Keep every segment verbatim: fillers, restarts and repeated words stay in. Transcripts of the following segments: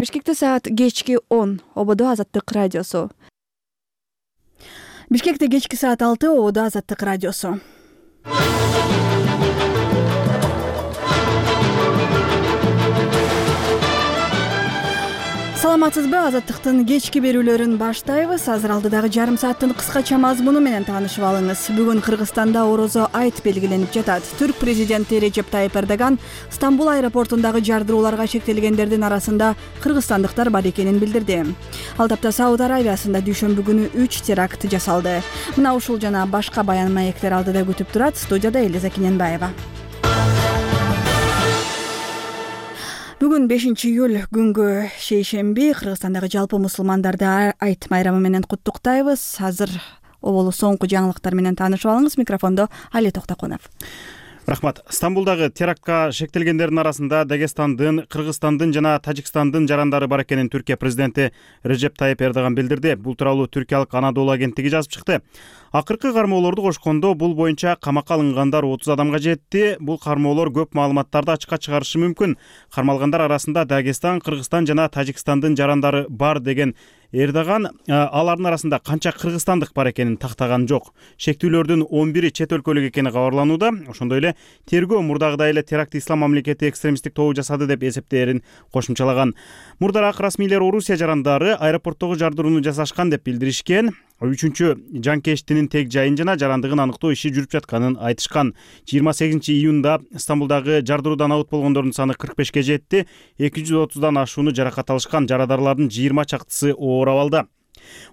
Бишкекте саат кечки он. Ободо Азаттык радиосу. Бишкекте кечки саат алты. Ободо Азаттык радиосу. Саламатсызбы? Азаттыктын кечки берүүлөрүн баштайбыз. Азыр алдыдагы жарым сааттын кыскача мазмуну менен таанышып алыңыз. Бүгүн Кыргызстанда Орозо айт белгиленип жатат. Түрк президенти Режеп Тайып Эрдоган Стамбул аэропортундагы жардырууларга шектелгендердин арасында кыргызстандыктар бар экенин билдирди. Ал тапта Сауд Арабиясында дүйшөмбү күнү үч теракт жасалды. Мына ушул жана башка баян маектер алдыда күтүп турат. Студияда Элиза Кененбаева. Бүгүн бешинчи июль күнгө шейшемби. Кыргызстандагы жалпы мусулмандарды айт майрамы менен куттуктайбыз. Азыр оболу соңку жаңылыктар менен таанышып алыңыз. Микрофондо Али Токтокунов. Рахмат. Стамбулдагы терактка шектелгендердин арасында Дагестандын, Кыргызстандын жана Тажикстандын жарандары бар экенин Түркия президенти Режеп Тайып Эрдоган билдирди. Бул тууралуу түркиялык Анадолу агенттиги жазып чыкты. Акыркы кармоолорду кошкондо бул боюнча камакка алынгандар отуз адамга жетти. Бул кармоолор көп маалыматтарды ачыкка чыгарышы мүмкүн. Кармалгандар арасында Дагестан, Кыргызстан жана Тажикстандын жарандары бар деген Эрдоган алардын арасында канча кыргызстандык бар экенин тактаган жок. Шектүүлөрдүн он бири чет өлкөлүк экени кабарланууда. Ошондой эле тергөө мурдагыдай эле теракт ислам мамлекети экстремисттик тобу жасады деп эсептээрин кошумчалаган. Мурдараак расмийлер Орусия жарандары аэропорттогу жардырууну жасашкан деп билдиришкен. Үчүнчү жанкештинин тег жайын жана жарандыгын аныктоо иши жүрүп жатканын айтышкан. жыйырма сегизинчи июнда Стамбулдагы жардыруудан абыт болгондордун саны кырк бешке жетти. эки жүз отуздан ашууну жаракат алышкан. Жарадарлардын жыйырма чактысы оор абалда.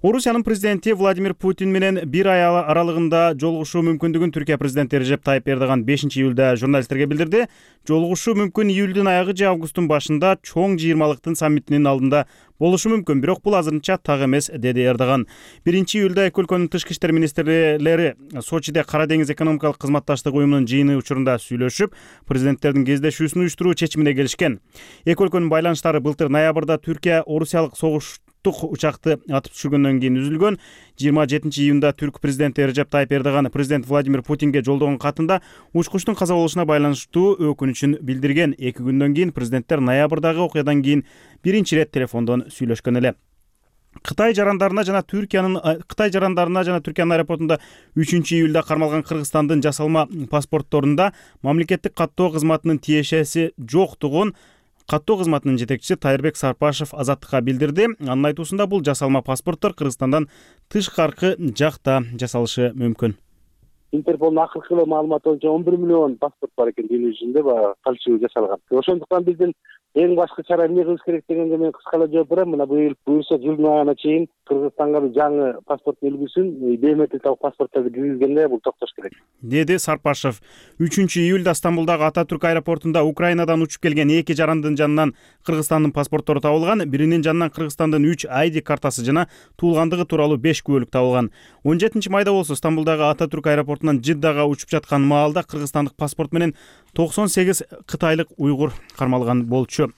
Орусиянын президенти Владимир Путин менен бир ай аралыгында жолугушуу мүмкүндүгүн Түркия президенти Режеп Тайып Эрдоган бешинчи июлда журналисттерге билдирди. Жолугушуу мүмкүн июлдун аягы же августтун башында чоң жыйырмалыктын саммитинин алдында болушу мүмкүн, бирок бул азырынча так эмес, деди Эрдоган. биринчи июлда эки өлкөнүн тышкы иштер министрлери Сочиде Кара деңиз экономикалык кызматташтык уюмунун жыйыны учурунда сүйлөшүп, президенттердин кездешүүсүн уюштуруу чечимине келишкен. Эки өлкөнүн байланыштары былтыр ноябрда Түркия орусиялык согуш учакты атып түшүргөндөн кийин үзүлгөн. жыйырма жетинчи июнда түрк президенти Режеп Тайып Эрдоган президент Владимир Путинге жолдогон катында учкучтун каза болушуна байланыштуу өкүнүчүн билдирген. Эки күндөн кийин президенттер ноябрдагы окуядан кийин биринчи ирет телефондон сүйлөшкөн эле. Кытай жарандарына жана Түркиянын Кытай жарандарына жана Түркиянын аэропортунда үчүнчү июлда кармалган Кыргызстандын жасалма паспортторунда мамлекеттик каттоо кызматынын тиешеси жоктугун каттоо кызматынын жетекчиси Тайырбек Сарпашев Азаттыкка билдирди. Анын айтуусунда бул жасалма паспорттор Кыргызстандан тышкаркы жакта жасалышы мүмкүн. Интерполдун акыркы маалыматы боюнча он бир миллион паспорт бар экен дүйнө жүзүндө, баягы фальшивый жасалган. Ошондуктан биздин эң башкы чара эмне кылыш керек дегенге мен кыскалаа жооп берем. Мына быйыл буюрса жылдын аягына чейин Кыргызстанга жаңы паспорттун үлгүсүн, биометрикалык паспортторду киргизгенде бул токтош керек, деди Сарпашев. үчүнчү июлда Стамбулдагы Ататүрк аэропортунда Украинадан учуп келген эки жарандын жанынан Кыргызстандын паспорттору табылган. Биринин жанынан Кыргызстандын үч ай ди картасы жана туулгандыгы тууралуу беш күбөлүк табылган. он жетинчи майда болсо Стамбулдагы Ататүрк аэропортунан Жиддага учуп жаткан маалда кыргызстандык паспорт менен токсон сегиз кытайлык уйгур кармалган болчу.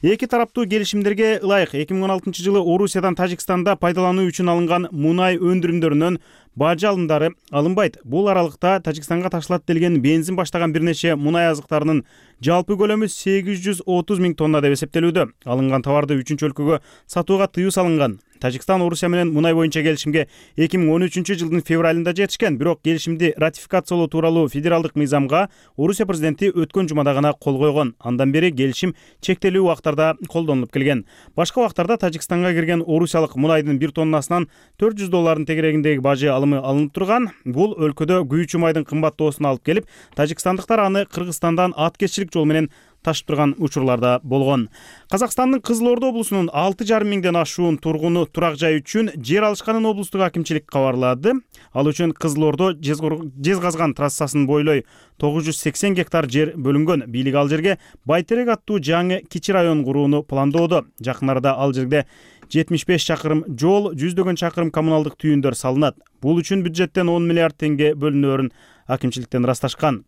Эки тараптуу келишимдерге ылайык эки миң он алтынчы жылы Орусиядан Тажикстанда пайдалануу үчүн алынган мунай өндүрүмдөрүнөн бажы алымдары алынбайт. Бул аралыкта Тажикстанга ташылат делген бензин баштаган бир нече мунай азыктарынын жалпы көлөмү сегиз жүз отуз миң тонна деп эсептелүүдө. Алынган товарды үчүнчү өлкөгө сатууга тыюу салынган. Тажикстан Орусия менен мунай боюнча келишимге эки миң он үчүнчү жылдын февралында жетишкен, бирок келишимди ратификациялоо тууралуу федералдык мыйзамга Орусия президенти өткөн жумада гана кол койгон. Андан бери келишим чектелүү убактарда колдонулуп келген. Башка убактарда Тажикстанга кирген орусиялык мунайдын бир тоннасынан төрт жүз доллардын тегерегиндеги бажы алымы алынып турган. Бул өлкөдө күйүүчү майдын кымбаттоосуна алып келип, тажикстандыктар аны Кыргызстандан аткезчилик жол менен ташып турган учурларда болгон. Казакстандын Кызыл Ордо облусунун алты жарым миңден ашуун тургуну турак жай үчүн жер алышканын облустук акимчилик кабарлады. Ал үчүн Кызыл Ордо Жезказган трассасын бойлой тогуз жүз сексен гектар жер бөлүнгөн. Бийлик ал жерге Байтерек аттуу жаңы кичи район курууну пландоодо. Жакын арада ал жерде жетимиш беш чакырым жол, жүздөгөн чакырым коммуналдык түйүндөр салынат. Бул үчүн бюджеттен он миллиард теңге бөлүнөөрүн акимчиликтен ырасташкан.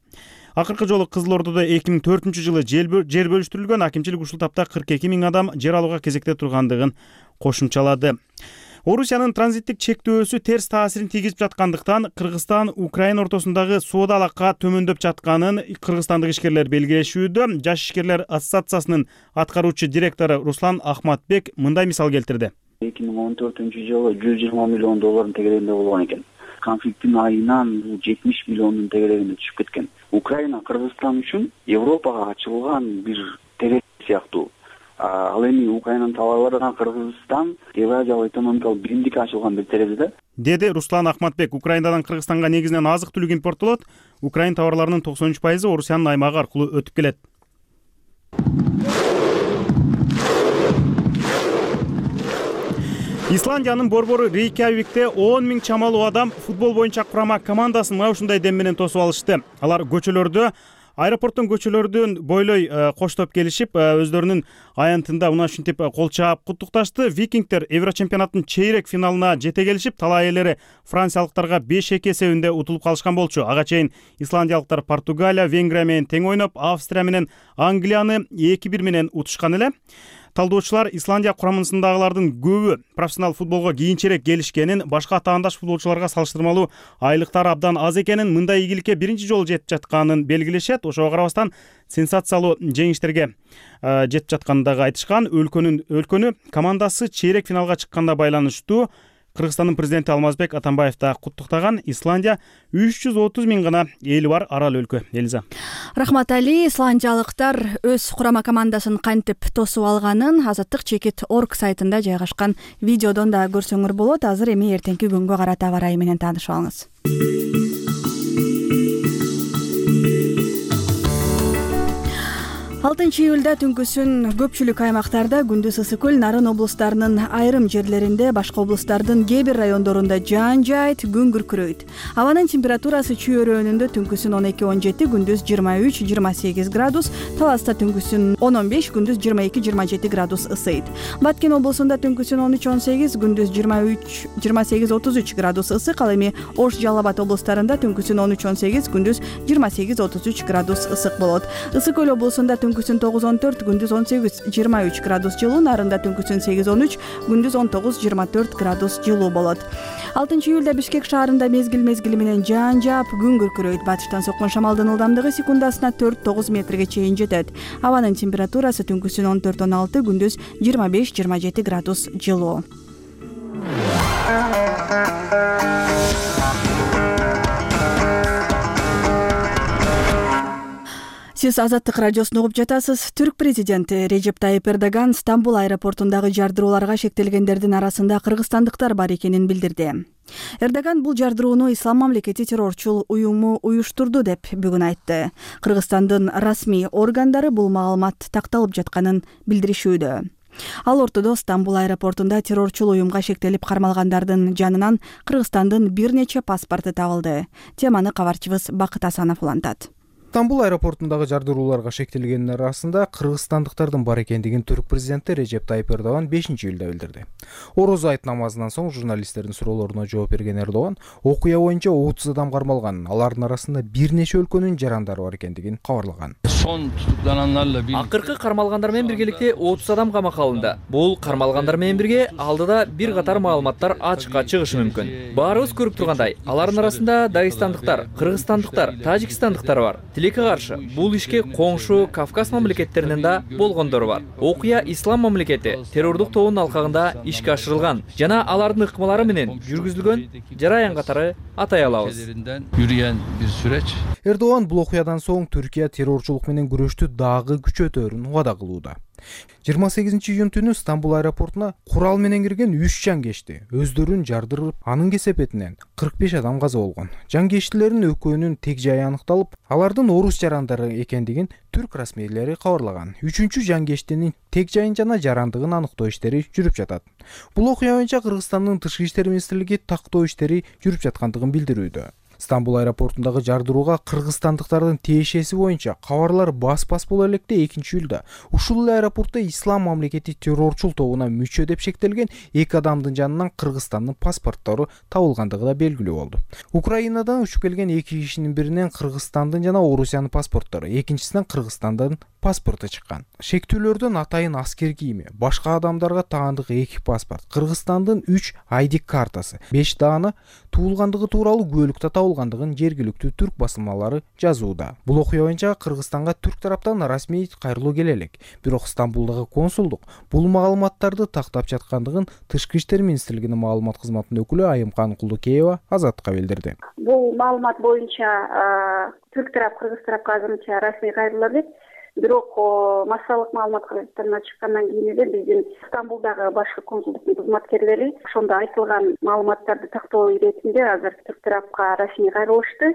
Акыркы жолу Кызыл Ордодо эки миң төртүнчү жылы жер бөлүштүрүлгөн. Акимчилик ушул тапта кырк эки миң адам жер алууга кезекте тургандыгын кошумчалады. Орусиянын транзиттик чектөөсү терс таасирин тийгизип жаткандыктан Кыргызстан Украина ортосундагы соода алака төмөндөп жатканын кыргызстандык ишкерлер белгилешүүдө. Жаш ишкерлер ассоциациясынын аткаруучу директору Руслан Ахматбек мындай мисал келтирди. эки миң он төртүнчү жылы жүз жыйырма миллион доллардын тегерегинде болгон экен. Конфликттин айынан бул жетимиш миллиондун тегерегине түшүп кеткен. Украина Кыргызстан үчүн Европага ачылган бир терезе сыяктуу. Ал эми Украинанын товарларына Кыргызстан Евразиялык экономикалык биримдикке ачылган бир терезе да. Деди Руслан Ахматбек. Украинадан Кыргызстанга негизинен азык-түлүк импорттолот. Украин товарларынын токсон үч пайызы Орусиянын аймагы аркылуу өтүп келет. Исландиянын борбору Рейкьявикте он миң чамалуу адам футбол боюнча курама командасын мына ушундай дем менен тосуп алышты. Алар көчөлөрдө, аэропорттун көчөлөрдөн бойлой коштоп келишип, өздөрүнүн аянтында мына ушинтип кол чаап куттукташты. Викингдер Еврочемпионаттын чейрек финалына жете келишип, талай элери франциялыктарга беш эки эсебинде утулуп калышкан болчу. Ага чейин исландиялыктар Португалия, Венгрия менен тең ойноп, Австрия менен Англияны эки бир менен утушкан эле. Талдоочулар Исландия курамындагылардын көбү профессионал футболго кийинчерээк келишкенин, башка таандаш футболчуларга салыштырмалуу айлыктары абдан аз экенин, мындай ийгиликке биринчи жолу жетип жатканын белгилешет. Ошого карабастан сенсациялуу жеңиштерге жетип жатканын дагы айтышкан. Өлкөнүн өлкөнү командасы чейрек финалга чыкканда байланыштуу. Кыргызстандын президенти Алмазбек Атамбаев да куттуктаган. Исландия үч жүз отуз миң гана эли бар арал өлкө. Элиза. Рахмат Али. Исландиялыктар өз курама командасын кантип тосуп алганын азаттык чекит точка орг сайтында жайгашкан видеодон да көрсөңөр болот. Азыр эми эртеңки күнгө карата аба ырайы менен таанышып алыңыз. алтынчы июлда түнкүсүн көпчүлүк аймактарда, күндүз ысык көл, Нарын облустарынын айрым жерлеринде, башка облустардын кээ бир райондорунда жаан жаайт, күн күркүрөйт. Абанын температурасы чүйөрөөнүндө түнкүсүн он эки он жети, күндүз жыйырма үч жыйырма сегиз градус, Таласта түнкүсүн он он беш, күндүз жыйырма эки жыйырма жети градус ысыйт. Баткен облусунда түнкүсүн он үч он сегиз, күндүз жыйырма үч жыйырма сегиз отуз үч градус ысык. Ал эми Ош, Жалал Абад облустарында түнкүсүн он үч он сегиз, күндүз жыйырма сегиз отуз үч градус ысык болот. Ысык көл облусунда түнкүсүн тогуз он төрт, күндүз он сегиз жыйырма үч градус жылуу, Нарында түнкүсүн сегиз он үч, күндүз он тогуз жыйырма төрт градус жылуу болот. алтынчы июлда Бишкек шаарында мезгил мезгили менен жаан жаап, күн күркүрөйт. Батыштан соккон шамалдын ылдамдыгы секундасына төрт тогуз метрге чейин жетет. Абанын температурасы түнкүсүн он төрт он алты, күндүз жыйырма беш жыйырма жети градус жылуу. Сиз Азаттык радиосун угуп жатасыз. Түрк президенти Режеп Тайип Эрдоган Стамбул аэропортундагы жардырууларга шектелгендердин арасында кыргызстандыктар бар экенин билдирди. Эрдоган бул жардырууну Ислам мамлекети террорчул уюму уюштурду деп бүгүн айтты. Кыргызстандын расмий органдары бул маалымат такталып жатканын билдиришүүдө. Ал ортодо Стамбул аэропортунда террорчул уюмга шектелип кармалгандардын жанынан Кыргызстандын бир нече паспорту табылды. Теманы кабарчыбыз Бакыт Асанов улантат. Стамбул аэропортундагы жардырууларга шектелгендер арасында кыргызстандыктардын бар экендигин Түрк президенти Режеп Тайип Эрдоган бешинчи июлда билдирди. Орозо айт намазынан соң журналисттердин суроолоруна жооп берген Эрдоган окуя боюнча отуз адам кармалганын, алардын арасында бир нече өлкөнүн жарандары бар экендигин кабарлаган. Акыркы кармалгандар менен биргеликте отуз адам камакка алынды. Бул кармалгандар менен бирге алдыда бир катар маалыматтар ачыкка чыгышы мүмкүн. Баарыбыз көрүп тургандай, алардын арасында дагестандыктар, кыргызстандыктар, тажикстандыктар бар. Тилекке каршы бул ишке коңшу Кавказ мамлекеттеринен да болгондор бар. Окуя Ислам мамлекети террордук тобунун алкагында ишке ашырылган жана алардын ыкмалары менен жүргүзүлгөн жараян катары атай алабыз. Жүргөн бир сүрөч. Эрдоган бул окуядан соң Түркия террорчулук менен күрөштү дагы күчөтөрүн убада кылууда. жыйырма сегизинчи июнь түнү Стамбул аэропортуна курал менен кирген үч жангечти өздөрүн жардырып, анын кесепетинен кырк беш адам каза болгон. Жангечтилердин экөөнүн тег жайы аныкталып, алардын орус жарандары экендигин түрк расмийлери кабарлаган. Үчүнчү жангечтинин тег жайын жана жарандыгын аныктоо иштери жүрүп жатат. Бул окуя боюнча Кыргызстандын тышкы иштер министрлиги тактоо иштери жүрүп жаткандыгын билдирүүдө. Стамбул аэропортундагы жардырууга кыргызстандыктардын тиешеси боюнча кабарлар бас-бас боло электе экинчи июлда ушул эле аэропортто ислам мамлекети террорчул тобуна мүчө деп шектелген эки адамдын жанынан Кыргызстандын паспорттору табылгандыгы да белгилүү болду. Украинадан учуп келген эки кишинин биринен Кыргызстандын жана Орусиянын паспорттору, экинчисинен Кыргызстандын паспорту чыккан. Шектүүлөрдөн атайын аскер кийими, башка адамдарга таандык эки паспорт, Кыргызстандын үч ай ди картасы, беш дааны туулгандыгы тууралуу күбөлүктө табылгандыгын жергиликтүү түрк басылмалары жазууда. Бул окуя боюнча Кыргызстанга түрк тараптан расмий кайрылуу келе элек. Бирок Стамбулдагы консулдук бул маалыматтарды тактап жаткандыгын Тышкы иштер министрлигинин маалымат кызматынын өкүлү Айымкан Кулдукеева Азаттыкка билдирди. Бул маалымат боюнча түрк тарап Кыргыз тарапка азырынча расмий кайрылуу элек. Бирок массалык маалымат кызматына чыккандан кийин эле биздин Стамбулдагы башкы консулдуктун кызматкерлери ошондо айтылган маалыматтарды тактоо иретинде азыр түрк тарапка расмий кайрылышты.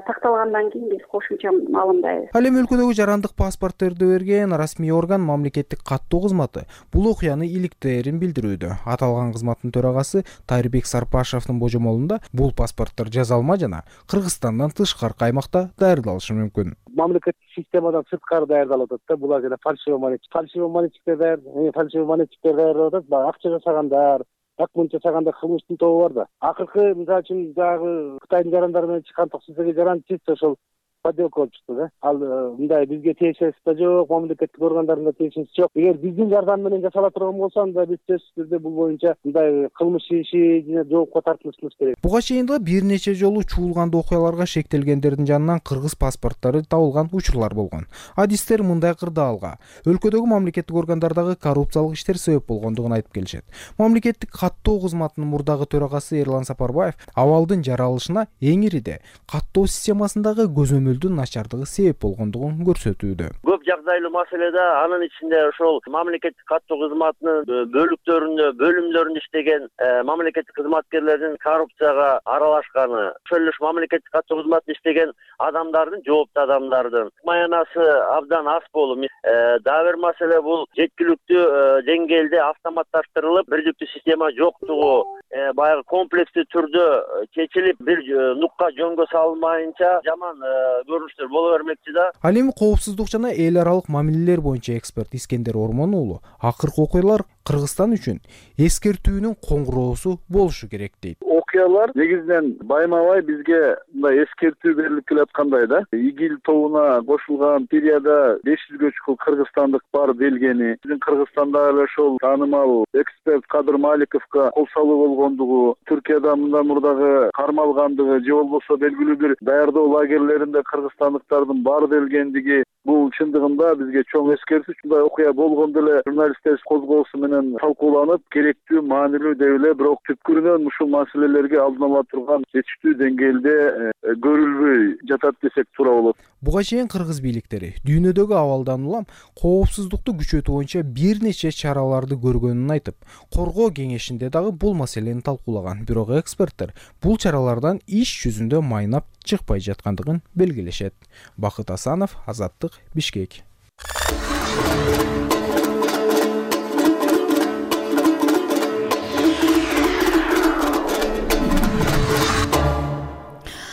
Такталгандан кийин биз кошумча маалымдайбыз. Ал эми өлкөдөгү жарандык паспортторду берген расмий орган мамлекеттик каттоо кызматы бул окуяны иликтээрин билдирүүдө. Аталган кызматтын төрагасы Тайырбек Сарпашевдин божомолунда бул паспорттор жазалма жана Кыргызстандан тышкаркы аймакта даярдалышы мүмкүн. Мамлекеттик системадан сырткары даярдалып атат да. Булар жана фальшивый монетчик, фальшивый монетчиктер даяр, фальшивый монетчиктер даярдап атат. Баягы акча жасагандар, акмунча жасаганда кылмыштын тобу бар да. Акыркы мисалы үчүн дагы Кытайдын жарандары менен чыккан токсуздугу жаран чисто ошол подделка болуп чыкты да. Ал мындай бизге тиешеси да жок, мамлекеттик органдарына тиешеси жок. Эгер биздин жардам менен жасала турган болсо анда биз сөзсүз түрдө бул боюнча мындай кылмыш иши жана жоопко тартылышыбыз керек. Буга чейин да бир нече жолу чуулгандуу окуяларга шектелгендердин жанынан кыргыз паспорттору табылган учурлар болгон. Адистер мындай кырдаалга өлкөдөгү мамлекеттик органдардагы коррупциялык иштер себеп болгондугун айтып келишет. Мамлекеттик каттоо кызматынын мурдагы төрагасы Эрлан Сапарбаев абалдын жаралышына эң ириде каттоо системасындагы көзөмөл начардыгы себеп болгондугун көрсөтүүдө. Көп жагдайлуу маселеде анын ичинде ошол мамлекеттик каттоо кызматынын бөлүктөрүндө, бөлүмдөрүндө иштеген мамлекеттик кызматкерлердин коррупцияга аралашканы, ошол эле мамлекеттик каттоо кызматында иштеген адамдардын, жооптуу адамдардын маянасы абдан аз болуп, дагы бир маселе бул жеткиликтүү деңгээлде автоматташтырылып, бирдиктүү система жоктугу, баягы комплекстүү түрдө чечилип, бир нукка жөнгө салынмайынча жаман көрүнүштөр боло бермекчи да. Ал эми коопсуздук жана эл аралык мамилелер боюнча эксперт Искендер Ормон уулу акыркы окуялар Кыргызстан үчүн эскертүүнүн коңгуроосу болушу керек дейт. Окуялар негизинен байма-бай бизге мындай эскертүү берилип келаткандай да. ИГИЛ тобуна кошулган Сирияда беш жүзгө чукул кыргызстандык бар делгени, биздин Кыргызстанда эле ошол таанымал эксперт Кадыр Маликовго кол салуу болгондугу, Түркияда мындан мурдагы кармалгандыгы же болбосо белгилүү бир даярдоо лагерлеринде кыргызстандыктардын бар делгендиги, бул чындыгында бизге чоң эскертүү. Ушундай окуя болгондо эле журналисттер козгоосу менен талкууланып, керектүү, маанилүү деп эле, бирок түпкүрүнөн ушул маселелерге алдын ала турган жетиштүү деңгээлде көрүлбөй жатат десек туура болот. Буга чейин кыргыз бийликтери дүйнөдөгү абалдан улам коопсуздукту күчөтүү боюнча бир нече чараларды көргөнүн айтып, коргоо кеңешинде дагы бул маселени талкуулаган. Бирок эксперттер бул чаралардан иш жүзүндө майнап чыкпай жаткандыгын белгилешет. Бакыт Асанов, Азаттык, Бишкек.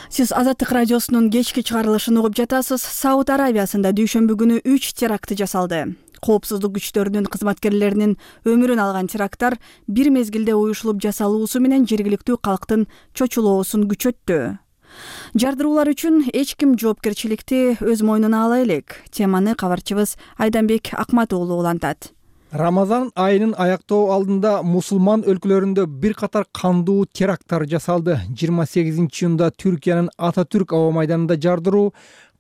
Сиз Азаттык радиосунун кечки чыгарылышын угуп жатасыз. Сауд Арабиясында дүйшөмбү күнү үч теракт жасалды. Коопсуздук күчтөрүнүн кызматкерлеринин өмүрүн алган теракттар бир мезгилде уюшулуп жасалуусу менен жергиликтүү калктын чочулоосун күчөттү. Жардыруулар үчүн эч ким жоопкерчиликти өз мойнуна ала элек. Теманы кабарчыбыз Айданбек Акмат уулу улантат. Рамазан айынын аяктоо алдында мусулман өлкөлөрүндө бир катар кандуу теракттар жасалды. жыйырма сегизинчи июнда Түркиянын Ататүрк аба майданында жардыруу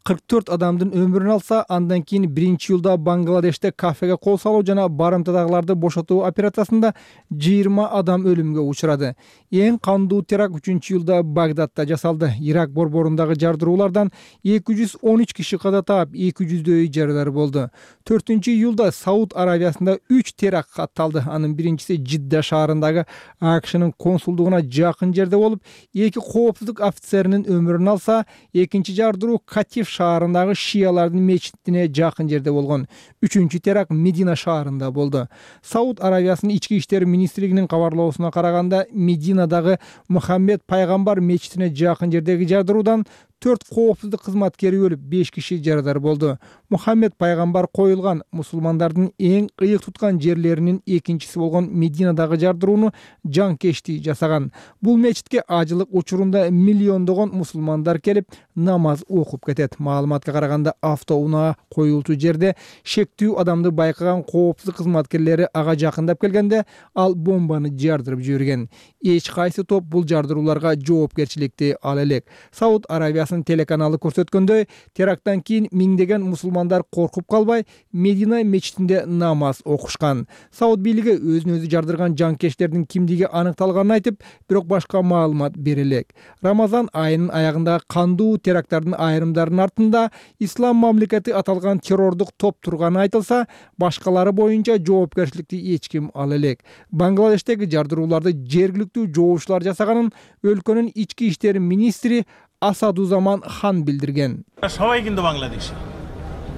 кырк төрт адамдын өмүрүн алса, андан кийин биринчи июлда Бангладеште кафеге кол салуу жана барымтадагыларды бошотуу операциясында жыйырма адам өлүмгө учурады. Эң кандуу теракт үчүнчү июлда Багдадта жасалды. Ирак борборундагы жардыруулардан эки жүз он үч киши каза таап, эки жүздөй жаралар болду. төртүнчү июлда Сауд Арабиясында үч теракт катталды. Анын биринчиси Жидда шаарындагы АКШнын консулдугуна жакын жерде болуп, эки коопсуздук офицеринин өмүрүн алса, экинчи жардыруу Катив шаарындагы шиялардын мечитине жакын жерде болгон. Үчүнчү теракт Медина шаарында болду. Сауд Аравиясынын ички иштер министрлигинин кабарлоосуна караганда, Мединадагы Мухаммед пайгамбар мечитине жакын жердеги жардыруудан төрт коопсуздук кызматкери өлүп, беш киши жарадар болду. Мухаммед пайгамбар коюлган мусулмандардын эң ыйык туткан жерлеринин экинчиси болгон Мединадагы жардырууну жанкечтий жасаган. Бул мечитке ажылык учурунда миллиондогон мусулмандар келип, намаз окуп кетет. Маалыматка караганда, автоунаа коюлчу жерде шектүү адамды байкаган коопсуздук кызматкерлери ага жакындап келгенде, ал бомбаны жардырып жиберген. Эч кайсы топ бул жардырууларга жоопкерчиликти ала элек. Сауд Аравиясынын телеканалы көрсөткөндөй, теракттан кийин миңдеген мусулмандар коркуп калбай, Медина мечитинде намаз окушкан. Сауд бийлиги өзүн өзү жардырган жанкечтердин кимдиги аныкталганын айтып, бирок башка маалымат бере элек. Рамазан айынын аягындагы кандуу теракттардын айрымдарынын артында ислам мамлекети аталган террордук топ турганы айтылса, башкалары боюнча жоопкерчиликти эч ким ала элек. Бангладештеги жардырууларды жергиликтүү жоочулар жасаганын өлкөнүн ички иштер министри Асадузаман хан билдирген. সবাই কিন্তু বাংলাদেশী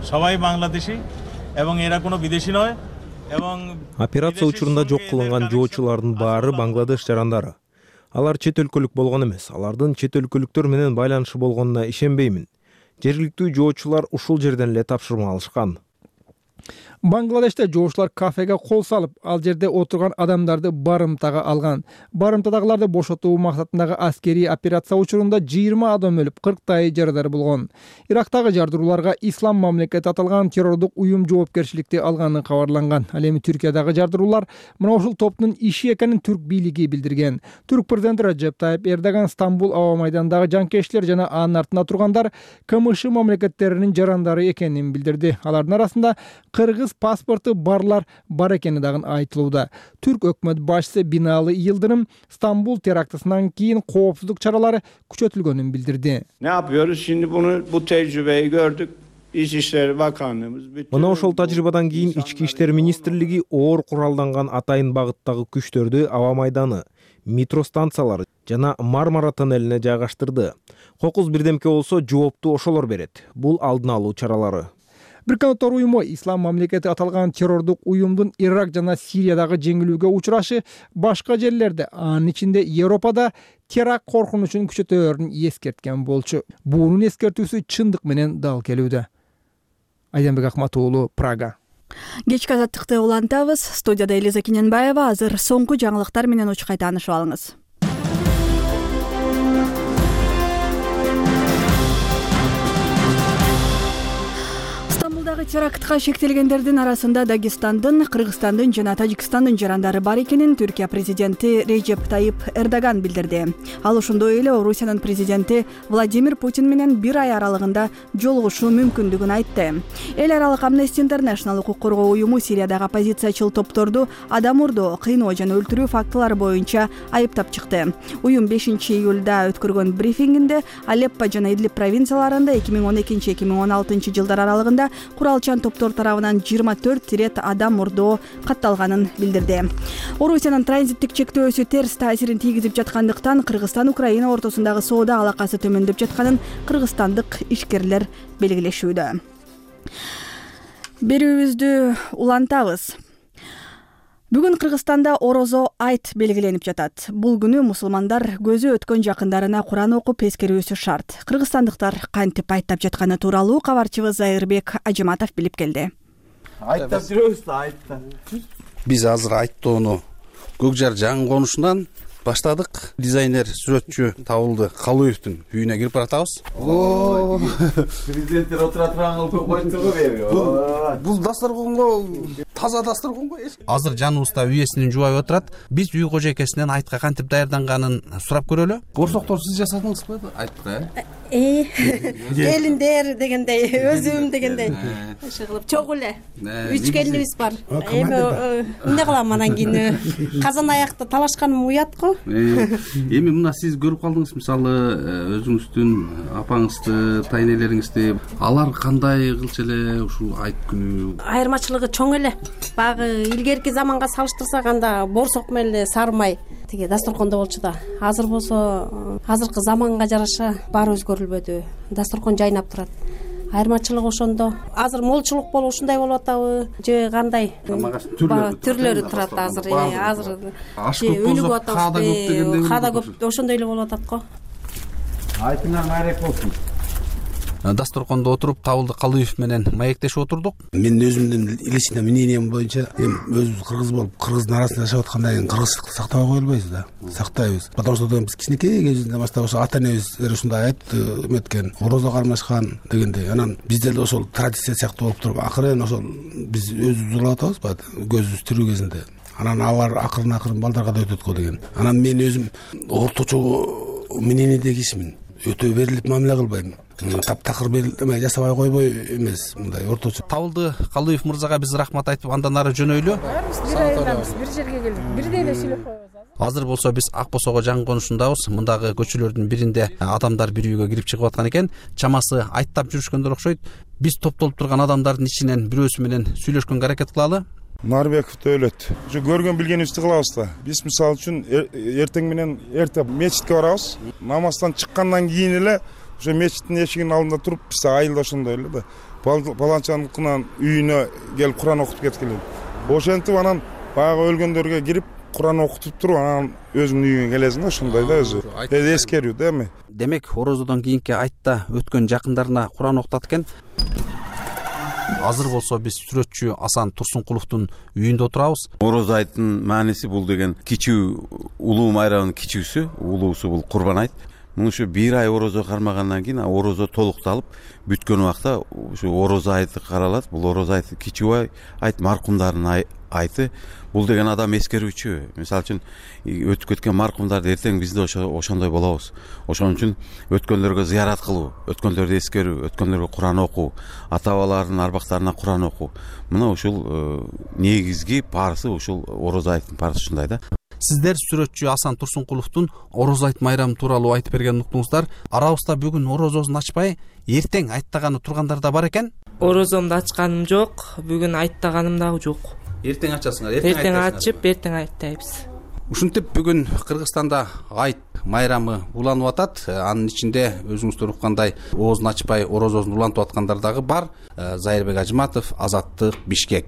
সবাই বাংলাদেশী এবং এরা কোনো বিদেশী নয় এবং операция учурунда жок кылынган жоочулардын баары Бангладеш жарандары. Алар чет өлкөлүк болгон эмес. Алардын чет өлкөлүктөр менен байланышы болгонуна ишенбеймин. Жергиликтүү жоочулар ушул жерден эле тапшырма алышкан. Бангладеште жоочулар кафеге кол салып, ал жерде отурган адамдарды барымтага алган. Барымтадагыларды бошотуу максатындагы аскерий операция учурунда жыйырма адам өлүп, кырктай жарадар болгон. Ирактагы жардырууларга ислам мамлекети аталган террордук уюм жоопкерчиликти алганы кабарланган. Ал эми Түркиядагы жардыруулар мына ушул топтун иши экенин түрк бийлиги билдирген. Түрк президенти Режеп Тайип Эрдоган Стамбул аба майданындагы жанкечтилер жана анын артында тургандар КМШ мамлекеттеринин жарандары экенин билдирди. Алардын арасында кыргыз паспорту барлар бар экени дагы айтылууда. Түрк өкмөт башчысы Бинали Йылдырым Стамбул терактысынан кийин коопсуздук чаралары күчөтүлгөнүн билдирди. Ne yapıyoruz? Şimdi bunu bu tecrübeyi gördük. İçişleri Bakanlığımız Мына ошол тажрыйбадан кийин ички иштер министрлиги оор куралданган атайын багыттагы күчтөрдү аба майданы, метро станциялары жана Мармара тоннелине жайгаштырды. Кокуз бирдемке болсо жоопту ошолор берет. Бул алдын алуу чаралары. Бириккен Улуттар уюму ислам мамлекети аталган террордук уюмдун Ирак жана Сириядагы жеңилүүгө учурашы башка жерлерде, анын ичинде Европада теракт коркунучун күчөтөөрүн эскерткен болчу. Буунун эскертүүсү чындык менен дал келүүдө. Айданбек Акматуулу, Прага. Кечки азаттыкты улантабыз. Студияда Элиза Кененбаева. Азыр соңку жаңылыктар менен учкай таанышып алыңыз. Терактка шектелгендердин арасында Дагестандын, Кыргызстандын жана Тажикстандын жарандары бар экенин Түркия президенти Режеп Тайип Эрдоган билдирди. Ал ошондой эле Орусиянын президенти Владимир Путин менен бир ай аралыгында жолугушуу мүмкүндүгүн айтты. Эл аралык Amnesty International укук коргоо уюму Сириядагы оппозициячыл топторду адам урдоо, кыйноо жана өлтүрүү фактылары боюнча айыптап чыкты. Уюм бешинчи июлда өткөргөн брифингинде Алеппо жана Идлиб провинцияларында эки миң он экинчи — эки миң он алтынчы жылдар аралыгында куралчан топтор тарабынан жыйырма төрт ирет адам мурдоо катталганын билдирди. Орусиянын транзиттик чектөөсү терс таасирин тийгизип жаткандыктан Кыргызстан Украина ортосундагы соода алакасы төмөндөп жатканын кыргызстандык ишкерлер белгилешүүдө. Берүүбүздү улантабыз. Бүгүн Кыргызстанда Орозо айт белгиленип жатат. Бул күнү мусулмандар көзү өткөн жакындарына Куран окуп эскерүүсү шарт. Кыргызстандыктар кантип айттап жатканы тууралуу кабарчыбыз Зайырбек Ажыматов билип келди. Айттап жүрөбүз да, айтта. Биз азыр айттоону көк жар жаңы конушунан баштадык. Дизайнер, сүрөтчү табылды. Калуевдин үйүнө кирип баратабыз. О, президенттер отура турган көк койчугу берип. Бул дасторконго таза дасторконго азыр жаныбызда үйесинин жубайы отурат. Биз үй кожойкесинен айтка кантип даярданганын сурап көрөлү. Борсоктор сиз жасадыңызбы айтка? Э, келиндер дегендей, өзүм дегендей. Ошо кылып чогуу эле. Үч келинибиз бар. Эми эмне кылам анан кийин? Казан аякта талашканым уят го. Эми мына сиз көрүп калдыңыз, мисалы өзүңүздүн апаңызды, тайнелериңизди, алар кандай кылчу эле ушул айт күнү? Айырмачылыгы чоң эле. Багы илгерки заманга салыштырсак анда борсок менен эле сарымай тиги дасторкондо болчу да. Азыр болсо азыркы заманга жараша баары өзгөрүлбөдү. Дасторкон жайнап турат. айырмачылык ошондо. Азыр молчулук болуп ушундай болуп атабы же кандай түрлөрү турат азыр. Азыр өнүгүп атабыз, каада көп ошондой эле болуп атат го. Айтыңар майрек болсун. Дасторкондо отуруп Табылды Калыев менен маектешип отурдук. Мен өзүмдүн личный мнением боюнча эми өзүбүз кыргыз болуп кыргыздын арасында жашап аткандан кийин кыргызчылыкты сактабай кое албайбыз да. Сактайбыз. Потому что биз кичинекей кезибизден баштап ошо ата энебиздер ушундай айтты, эметкен, орозо кармашкан дегендей. Анан биздер да ошол традиция сыяктуу болуп туруп, акырын ошол биз өзүбүз улап атабыз, көзүбүз тирүү кезинде. Анан алар акырын акырын балдарга да өтөт го деген. Анан мен өзүм орточо мнениеде кишимин. Өтө берилип мамиле кылбайм. Таптакыр берилме жасабай койбой эмес, мындай орточо. Табылды Калыев мырзага биз рахмат айтып андан ары жөнөйлү. Бир айылдабыз, бир жерге келдик. Бирдей эле сүйлөп коебуз. Азыр болсо биз Ак Босого жаңы конушундабыз. Мындагы көчөлөрдүн биринде адамдар бири үйгө кирип чыгып аткан экен. Чамасы айттап жүрүшкөндөр окшойт. Биз топтолуп турган адамдардын ичинен бирөөсү менен сүйлөшкөнгө аракет кылалы. Нарбеков Төлөт. Ушу көргөн билгенибизди кылабыз да. Биз мисалы үчүн эртең менен эрте мечитке барабыз. Намаздан чыккандан кийин эле ошо мечиттин эшигинин алдында туруп, биз айылда ошондой эле да. Паланчаныкынан үйүнө келип Куран окутуп кеткиле. Ошентип анан баягы өлгөндөргө кирип Куран окутуп туруп, анан өзүңдүн үйүңө келесиң да, ошондой да өзү. Эди эскерүү да эми. Демек, орозодон кийинки айтта өткөн жакындарына Куран окутат экен. Азыр болсо биз сүрөтчү Асан Турсункуловдун үйүндө отурабыз. Орозо айттын мааниси бул деген кичүү улуу майрамдын кичүүсү, улуусу бул Курбан айт. Муну ушу бир ай орозо кармагандан кийин орозо толукталып бүткөн убакта ушу орозо айты каралат. Бул орозо айты кичүү айт, маркумдардын айты. Бул деген адам эскерүүчү. Мисалы үчүн өтүп кеткен маркумдарды эртең биз да ошондой болобуз. Ошон үчүн өткөндөргө зыярат кылуу, өткөндөрдү эскерүү, өткөндөргө Куран окуу, ата бабалардын арбактарына Куран окуу. Мына ушул негизги парсы, ушул орозо айттын парсы ушундай да. Сиздер сүрөтчү Асан Турсункуловдун орозо айт майрамы тууралуу айтып берген уктуңуздар. Арабызда бүгүн орозосун ачпай, эртең айттаганы тургандар да бар экен. Орозомду ачканым жок, бүгүн айттаганым дагы жок. Эртең ачасыңар, эртең ачып, эртең айттайбыз. Ушинтип бүгүн Кыргызстанда айт майрамы уланып атат. Анын ичинде өзүңүздөр уккандай оозун ачпай орозосун улантып аткандар дагы бар. Зайырбек Ажыматов, Азаттык, Бишкек.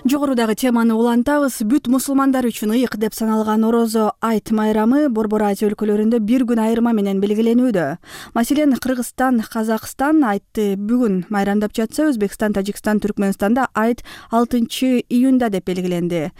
Жогорудагы теманы улантабыз. Бүт мусулмандар үчүн ыйык деп саналган орозо айт майрамы Борбор Азия өлкөлөрүндө бир күн айырма менен белгиленүүдө. Маселен, Кыргызстан, Казакстан айтты бүгүн майрамдап жатса, Өзбекстан, Тажикстан, Түркмөнстанда айт алтынчы июнда деп белгиленди.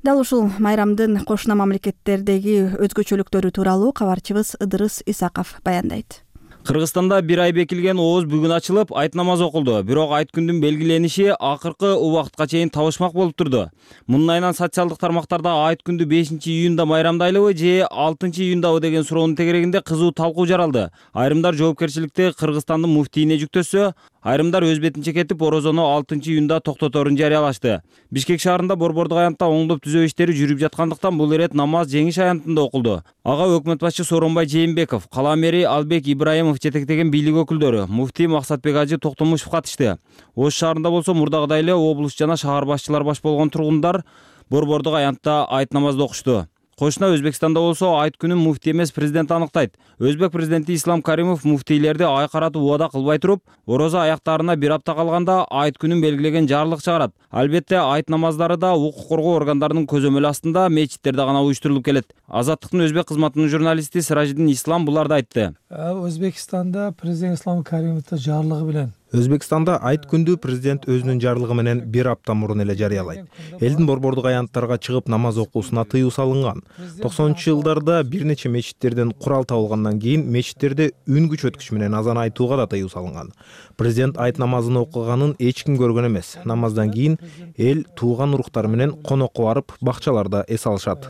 Дал ушул майрамдын кошуна мамлекеттердеги өзгөчөлүктөрү тууралуу кабарчыбыз Ыдырыс Исаков баяндайт. Кыргызстанда бир ай бекилген ооз бүгүн ачылып, айт намазы окулду. Бирок айт күндүн белгилениши акыркы убакытка чейин табышмак болуп турду. Мунун айынан социалдык тармактарда айт күндү бешинчи июнда майрамдайлыбы же алтынчы июндабы деген суроонун тегерегинде кызуу талкуу жаралды. Айрымдар жоопкерчиликти Кыргызстандын муфтийине жүктөсө, айрымдар өз бетинче кетип орозону алтынчы июнда токтоторун жарыялашты. Бишкек шаарында борбордук аянтта оңдоп түзөө иштери жүрүп жаткандыктан бул ирет намаз жеңиш аянтында окулду. Ага өкмөт башчы Сооронбай Жээнбеков, кала мэри Албек Ибраимов жетектеген бийлик өкүлдөрү, муфтий Максатбек Ажы Токтомушев катышты. Ош шаарында болсо мурдагыдай эле облус жана шаар башчылар баш болгон тургундар борбордук аянтта айт намазды окушту. Кошуна Өзбекстанда болсо айт күнүн муфтий эмес президент аныктайт. Өзбек президенти Ислам Каримов муфтийлерди ай каратып убада кылбай туруп, орозо аяктарына бир апта калганда айт күнүн белгилеген жарлык чыгарат. Албетте айт намаздары да укук коргоо органдарынын көзөмөлү астында мечиттерде гана уюштурулуп келет. Азаттыктын өзбек кызматынын журналисти Сиражидин Ислам буларды айтты. Өзбекстанда президент Ислам Каримовдун жарлыгы менен Өзбекстанда айт күндү президент өзүнүн жарлыгы менен бир апта мурун эле жарыялайт. Элдин борбордук аянттарга чыгып намаз окуусуна тыюу салынган. токсонунчу жылдарда бир нече мечиттерден курал табылгандан кийин мечиттерде үн күч өткүч менен азан айтууга да тыюу салынган. Президент айт намазын окуганын эч ким көргөн эмес. Намаздан кийин эл тууган уруктары менен конокко барып, бакчаларда эс алышат.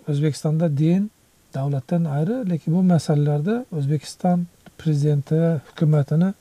Өзбекстанда дин давлаттан айры, лекин бул маселелерде Өзбекстан президенти, өкмөтүнүн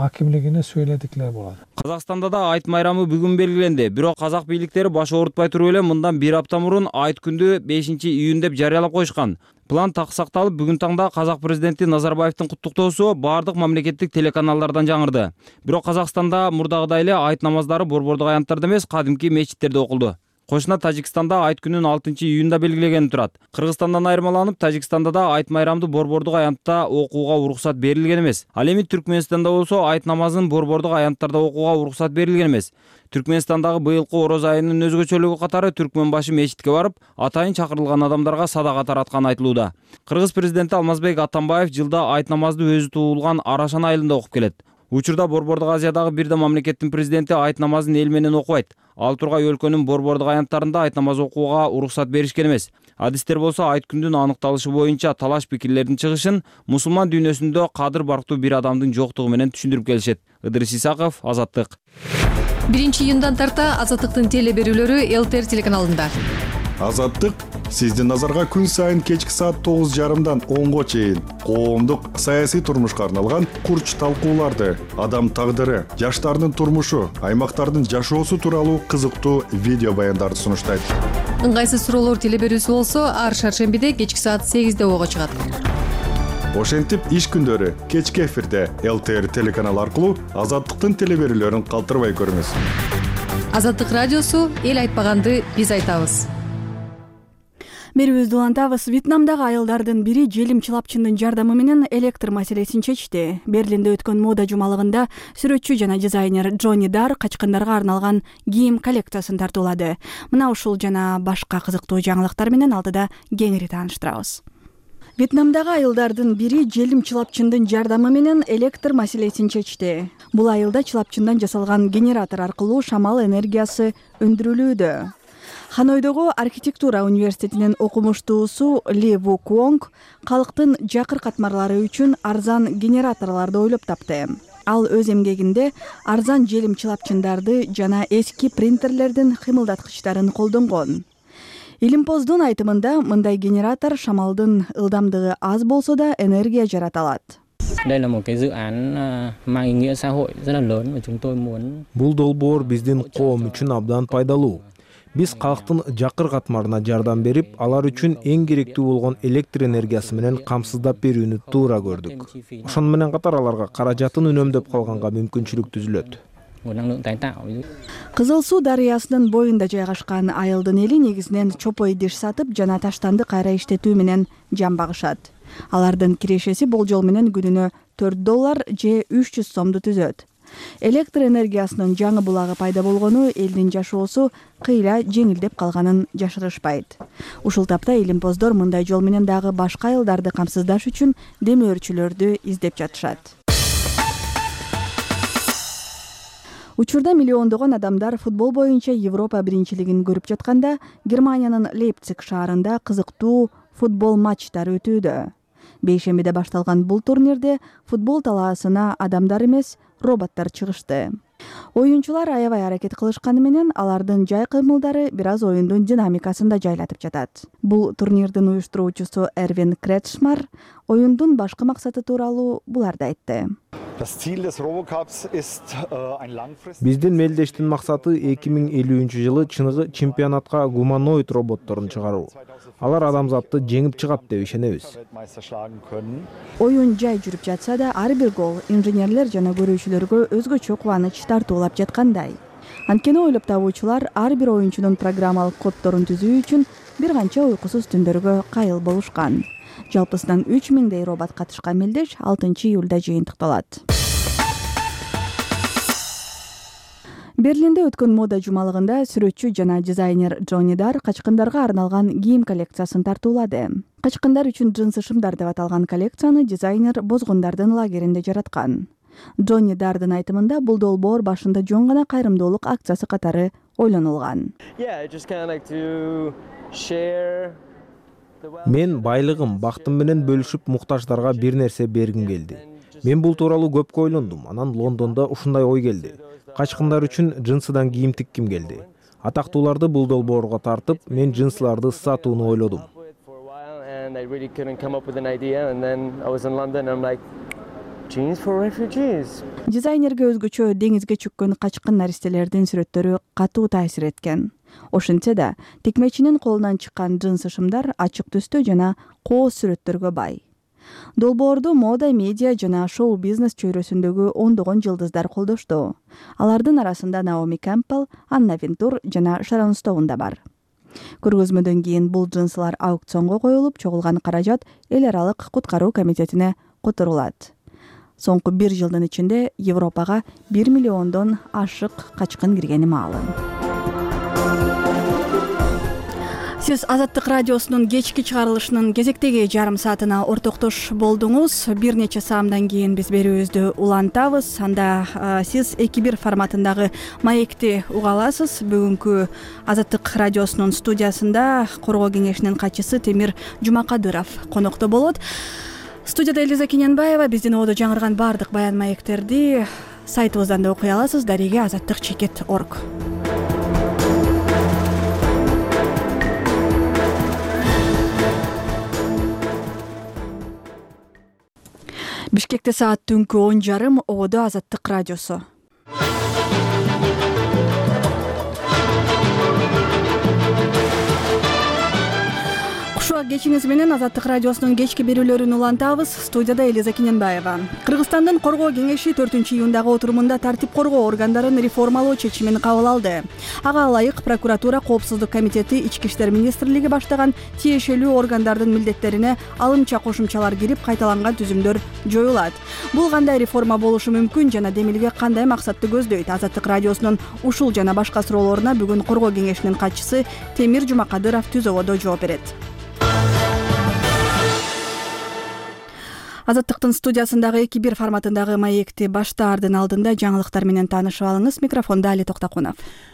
акимлигине сүйлөдүк эле болот. Казакстанда да айт майрамы бүгүн белгиленди. Бирок казак бийликтери баш оорутпай туруп эле мындан бир апта мурун айт күндү бешинчи июнь деп жарыялап коюшкан. План так сакталып, бүгүн таңда казак президенти Назарбаевдин куттуктоосу бардык мамлекеттик телеканалдардан жаңырды. Бирок Казакстанда мурдагыдай эле айт намаздары борбордук аянттарда эмес, кадимки мечиттерде окулду. Кошуна Тажикстанда айт күнүн алтынчы июнда белгилеген турат. Кыргызстандан айырмаланып, Тажикстанда да айт майрамды борбордук аянтта окууга уруксат берилген эмес. Ал эми Түркмөнстанда болсо айт намазын борбордук аянттарда окууга уруксат берилген эмес. Түркмөнстандагы быйылкы ороз айынын өзгөчөлүгү катары түркмөн башы мечитке барып, атайын чакырылган адамдарга садака таратканы айтылууда. Кыргыз президенти Алмазбек Атамбаев жылда айт намазды өзү туулган Арашан айылында окуп келет. Учурда борбордук Азиядагы бир да мамлекеттин президенти айт намазын эл менен окубайт. Ал тургай өлкөнүн борбордук аянттарында айт намаз окууга уруксат беришкен эмес. Адистер болсо айт күндүн аныкталышы боюнча талаш пикирлердин чыгышын мусулман дүйнөсүндө кадыр барктуу бир адамдын жоктугу менен түшүндүрүп келишет. Ыдырыс Исаков, Азаттык. биринчи июндан тарта Азаттыктын теле берүүлөрү эл-тэ эр телеканалында. Азаттык сиздин назарга күн сайын кечки саат тогуз жарымдан онго чейин коомдук саясий турмушка арналган курч талкууларды, адам тагдыры, жаштардын турмушу, аймактардын жашоосу тууралуу кызыктуу видео баяндарды сунуштайт. Ыңгайсыз суроолор теле берүүсү болсо ар шаршембиде кечки саат сегизде ого чыгат. Ошентип иш күндөрү кечки эфирде эл-тэ эр телеканалы аркылуу Азаттыктын теле берүүлөрүн калтырбай көрүңүз. Азаттык радиосу эл айтпаганды биз айтабыз. Берүүбүздү улантабыз. Вьетнамдагы айылдардын бири желим чылапчындын жардамы менен электр маселесин чечти. Берлинде өткөн мода жумалыгында сүрөтчү жана дизайнер Джонни Дар качкындарга арналган кийим коллекциясын тартуулады. Мына ушул жана башка кызыктуу жаңылыктар менен алдыда кеңири тааныштырабыз. Вьетнамдагы айылдардын бири желим чылапчындын жардамы менен электр маселесин чечти. Бул айылда чылапчындан жасалган генератор аркылуу шамал энергиясы өндүрүлүүдө. Ханойдогу архитектура университетинин окумуштуусу Ли Ву Куонг калктын жакыр катмарлары үчүн арзан генераторлорду ойлоп тапты. Ал өз эмгегинде арзан желим чылапчындарды жана эски принтерлердин кыймылдаткычтарын колдонгон. Илимпоздун айтымында мындай генератор шамалдын ылдамдыгы аз болсо да энергия жарата алат. Бул долбоор биздин коом үчүн абдан пайдалуу. Биз калктын жакыр катмарына жардам берип, алар үчүн эң керектүү болгон электр энергиясы менен камсыздап берүүнү туура көрдүк. Ошону менен катар аларга каражатын үнөмдөп калганга мүмкүнчүлүк түзүлөт. Кызыл Суу дарыясынын боюнда жайгашкан айылдын эли негизинен чопо идиш сатып жана таштанды кайра иштетүү менен жан багышат. Алардын кирешеси болжол менен күнүнө төрт доллар же үч жүз сомду түзөт. Электр энергиясынын жаңы булагы пайда болгону элдин жашоосу кыйла жеңилдеп калганын жашырышпайт. Ушул тапта илимпоздор мындай жол менен дагы башка айылдарды камсыздаш үчүн демөөрчүлөрдү издеп жатышат. Учурда миллиондогон адамдар футбол боюнча Европа биринчилигин көрүп жатканда, Германиянын Лейпциг шаарында кызыктуу футбол матчтары өтүүдө. Бейшембиде башталган бул турнирде футбол талаасына адамдар эмес, роботтор чыгышты. Оюнчулар аябай аракет кылышканы менен алардын жай кыймылдары бир аз оюндун динамикасын да жайлатып жатат. Бул турнирдин уюштуруучусу Эрвин Кретшмар оюндун башкы максаты тууралуу буларды айтты. Биздин мелдештин максаты эки миң элүүнчү жылы чыныгы чемпионатка гуманоид роботторун чыгаруу. Алар адамзатты жеңип чыгат деп ишенебиз. Оюн жай жүрүп жатса да, ар бир гол инженерлер жана көрүүчүлөргө өзгөчө кубаныч тартуулап жаткандай. Анткени ойлоп табуучулар ар бир оюнчунун программалык коддорун түзүү үчүн бир канча уйкусуз түндөргө кайыл болушкан. Жалпысынан үч миңдей робот катышкан мелдеш алтынчы июлда жыйынтыкталат. Берлинде өткөн мода жумалыгында сүрөтчү жана дизайнер Джонни Дар качкындарга арналган кийим коллекциясын тартуулады. Качкындар үчүн джинсы шымдар деп аталган коллекцияны дизайнер бозгундардын лагеринде жараткан. Джонни Дардын айтымында бул долбоор башында жөн гана кайрымдуулук акциясы катары ойлонулган. Мен байлыгым, бактым менен бөлүшүп муктаждарга бир нерсе бергим келди. Мен бул тууралуу көп ойлондум. Анан Лондондо ушундай ой келди. Качкындар үчүн джинсыдан кийим тикким келди. Атактууларды бул долбоорго тартып, мен джинсыларды сатууну ойлодум. Дизайнерге өзгөчө деңизге чөккөн качкын наристелердин сүрөттөрү катуу таасир эткен. Ошентсе да, тикмечинин колунан чыккан джинсы шымдар ачык түстө жана кооз сүрөттөргө бай. Долбоорду мода, медиа жана шоу-бизнес чөйрөсүндөгү ондогон жылдыздар колдошту. Алардын арасында Наоми Кэмпбелл, Анна Винтур жана Шарон Стоун да бар. Көргөзмөдөн кийин бул джинсылар аукционго коюлуп, чогулган каражат эл аралык куткаруу комитетине которулат. Соңку бир жылдын ичинде Европага бир миллиондон ашык качкын киргени маалым. Сиз Азаттык радиосунун кечки чыгарылышынын кезектеги жарым саатына ортоктош болдуңуз. Бир нече саамдан кийин биз берүүбүздү улантабыз. Анда сиз эки бир форматындагы маекти уга аласыз. Бүгүнкү Азаттык радиосунун студиясында Коргоо кеңешинин катчысы Темир Жумакадыров конокто болот. Студияда Элиза Кененбаева. Биздин ободо жаңырган баардык баян маектерди сайтыбыздан да окуй аласыз. Дареге азаттык чекит точка орг. Бишкекте саат түнкү он жарым, ободо Азаттык радиосу. Кечиңиз менен Азаттык радиосунун кечки берүүлөрүн улантабыз. Студияда Элиза Кененбаева. Кыргызстандын Коргоо кеңеши төртүнчү июндагы отурумунда тартип коргоо органдарын реформалоо чечимин кабыл алды. Ага ылайык прокуратура, коопсуздук комитети, Ички иштер министрлиги баштаган тиешелүү органдардын милдеттерине алымча кошумчалар кирип, кайталанган түзүмдөр жоюлат. Бул кандай реформа болушу мүмкүн жана демилге кандай максатты көздөйт? Азаттык радиосунун ушул жана башка суроолоруна бүгүн Коргоо кеңешинин катчысы Темир Жумакадыров түз ободо жооп берет. Азаттыктын студиясындагы эки бир форматындагы маекти баштаардын алдында жаңылыктар менен таанышып алыңыз. Микрофонда Али Токтокунов.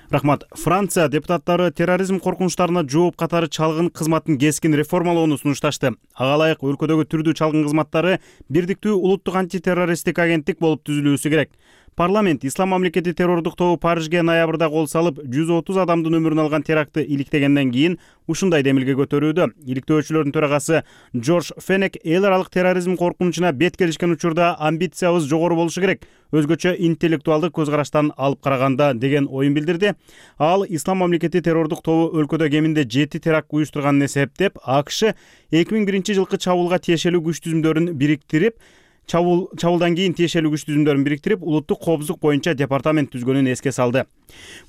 Рахмат. Франция депутаттары терроризм коркунучтарына жооп катары чалгын кызматын кескин реформалоону сунушташты. Ага ылайык өлкөдөгү түрдүү чалгын кызматтары бирдиктүү улуттук антитеррористтик агенттик болуп түзүлүүсү керек. Парламент Ислам мамлекети террордук тобу Парижге ноябрда кол салып, жүз отуз адамдын өмүрүн алган терактты иликтегенден кийин ушундай демилге көтөрүүдө. Иликтөөчүлөрдүн төрагасы Джордж Фенек эл аралык терроризм коркунучуна бет келишкен учурда амбициябыз жогору болушу керек, өзгөчө интеллектуалдык көз караштан алып караганда деген оюн билдирди. Ал Ислам мамлекети террордук тобу өлкөдө кеминде жети теракт уюштурганын эсептеп, АКШ эки миң биринчи жылкы чабуулга тиешелүү күч түзүмдөрүн бириктирип, Чабул чабулдан кийин тиешелүү күч түзүмдөрүн бириктирип, улуттук коопсуздук боюнча департамент түзгөнүн эске салды.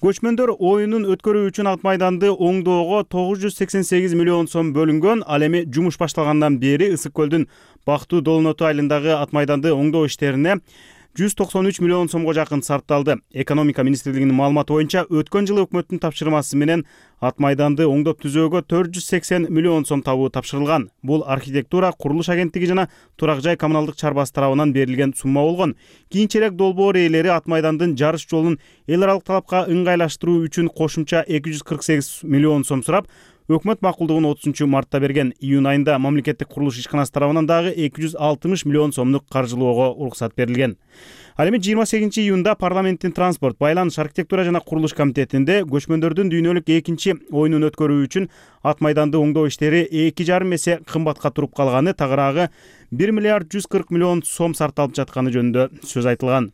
Көчмөндөр оюнун өткөрүү үчүн Ат майданды оңдоого тогуз жүз сексен сегиз миллион сом бөлүнгөн. Ал эми жумуш башталгандан бери Ысык көлдүн Бактуу Долоноту айылындагы Ат майданды оңдоо иштерине жүз токсон үч миллион сомго жакын сарпталды. Экономика министрлигинин маалыматы боюнча өткөн жылы өкмөттүн тапшырмасы менен Ат майданды оңдоп түзөөгө төрт жүз сексен миллион сом табуу тапшырылган. Бул архитектура, курулуш агенттиги жана Турак жай коммуналдык чарбасы тарабынан берилген сумма болгон. Кийинчерээк долбоор ээлери Ат майдандын жарыш жолун эл аралык талапка ыңгайлаштыруу үчүн кошумча эки жүз кырк сегиз миллион сом сурап, өкмөт макулдугун отузунчу мартта берген. Июнь айында мамлекеттик курулуш ишканасы тарабынан дагы эки жүз алтымыш миллион сомдук каржылоого уруксат берилген. Ал эми жыйырма сегизинчи июнда парламенттин транспорт, байланыш, архитектура жана курулуш комитетинде көчмөндөрдүн дүйнөлүк экинчи оюнун өткөрүү үчүн Ат майданды оңдоо иштери эки жарым эсе кымбатка туруп калганы, тагыраагы бир миллиард жүз кырк миллион сом сарпталып жатканы жөнүндө сөз айтылган.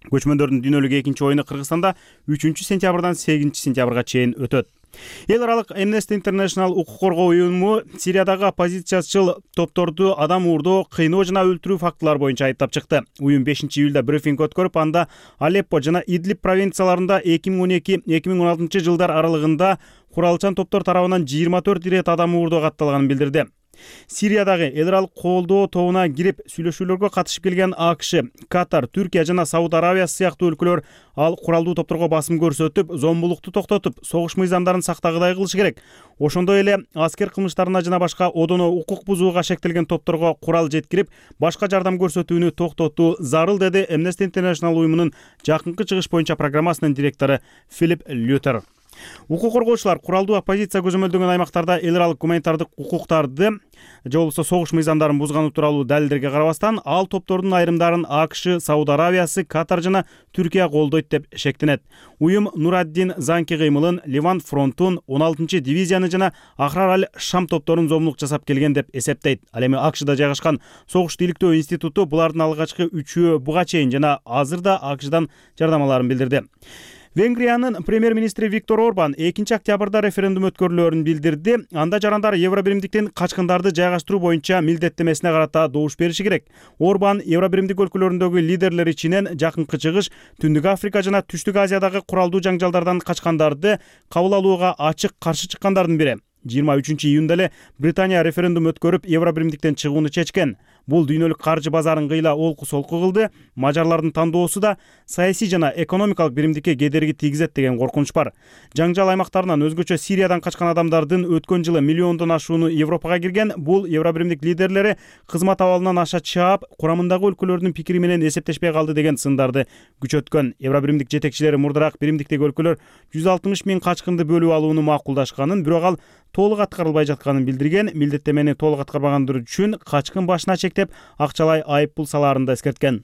Көчмөндөрдүн дүйнөлүк экинчи оюну Кыргызстанда үчүнчү сентябрдан сегизинчи сентябрга чейин өтөт. Эл аралык Amnesty International укук коргоо уюму Сириядагы оппозициячыл топторду адам уурдоо, кыйноо жана өлтүрүү фактылары боюнча айыптап чыкты. Уюм бешинчи июлда брифинг өткөрүп, анда Алеппо жана Идлиб провинцияларында эки миң он эки — эки миң он алтынчы жылдар аралыгында куралчан топтор тарабынан жыйырма төрт ирет адам уурдоо катталганын билдирди. Сириядагы эл аралык колдоо тобуна кирип сүйлөшүүлөргө катышып келген АКШ, Катар, Түркия жана Сауд Арабиясы сыяктуу өлкөлөр ал куралдуу топторго басым көрсөтүп, зомбулукту токтотуп, согуш мыйзамдарын сактагыдай кылышы керек. Ошондой эле аскер кылмыштарына жана башка одоно укук бузууга шектелген топторго курал жеткирип, башка жардам көрсөтүүнү токтотуу зарыл, деди Amnesty International уюмунун жакынкы чыгыш боюнча программасынын директору Филипп Лютер. Укук коргоочулар куралдуу оппозиция көзөмөлдөгөн аймактарда эл аралык гуманитардык укуктарды же болбосо согуш мыйзамдарын бузганы тууралуу далилдерге карабастан ал топтордун айрымдарын АКШ, Сауд Аравиясы, Катар жана Түркия колдойт деп шектенет. Уюм Нураддин Занки кыймылын, Ливан фронтун, он алтынчы дивизияны жана Ахрар аль-Шам топторун зомдук жасап келген деп эсептейт. Ал эми АКШда жайгашкан Согуш тиликтөө институту булардын алгачкы үчөө буга чейин жана азырда АКШдан жардамаларын билдирди. Венгриянын премьер-министри Виктор Орбан экинчи октябрда референдум өткөрүлөөрүн билдирди. Анда жарандар Евробиримдиктен качкындарды жайгаштыруу боюнча милдеттемесине карата добуш бериши керек. Орбан Евробиримдик өлкөлөрүндөгү лидерлер ичинен жакынкы чыгыш, Түндүк Африка жана Түштүк Азиядагы куралдуу жаңжалдардан качкандарды кабыл алууга ачык каршы чыккандардын бири. жыйырма үчүнчү июнда эле Британия референдум өткөрүп Евробиримдиктен чыгууну чечкен. Бул дүйнөлүк каржы базарын кыйла олку-солку кылды. Мажарлардын тандоосу да саясий жана экономикалык биримдикке кедерги тийгизет деген коркунуч бар. Жаңжал аймактарынан өзгөчө Сириядан качкан адамдардын өткөн жылы миллиондон ашууну Европага кирген. Бул Евробиримдик лидерлери кызмат абалынан аша чаап, курамындагы өлкөлөрдүн пикири менен эсептешпей калды деген сындарды күчөткөн. Евробиримдик жетекчилери мурдараак биримдиктеги өлкөлөр жүз алтымыш миң качкынды бөлүп алууну макулдашканын, бирок ал толук аткарылбай жатканын билдирген. Милдеттемени толук аткарбагандыр үчүн качкын башына чектеп акчалай айып пул салаарын да эскерткен.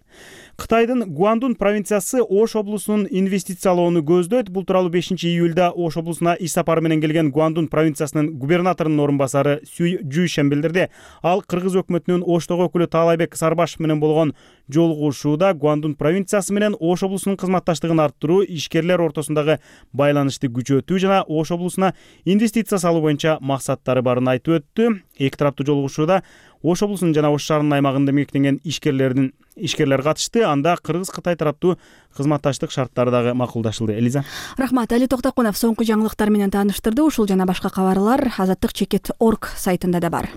Кытайдын Гуандун провинциясы Ош облусунун инвестициялоону көздөйт. Бул тууралуу бешинчи июлда Ош облусуна иш сапары менен келген Гуандун провинциясынын губернаторунун орун басары Сюй Жуйшен билдирди. Ал кыргыз өкмөтүнүн Оштогу өкүлү Таалайбек Сарбашев менен болгон жолугушууда Гуандун провинциясы менен Ош облусунун кызматташтыгын арттыруу, ишкерлер ортосундагы байланышты күчөтүү жана Ош облусуна инвестиция салуу боюнча максаттары барын айтып өттү. Эки тараптуу жолугушууда Ош облусунун жана Ош шаарынын аймагында эмгектенген ишкерлердин ишкерлер катышты. Анда Кыргыз-Кытай тараптуу кызматташтык шарттары дагы макулдашылды. Элиза. Рахмат. Али Токтокунов соңку жаңылыктар менен тааныштырды. Ушул жана башка кабарлар азаттык чекит точка орг сайтында да бар.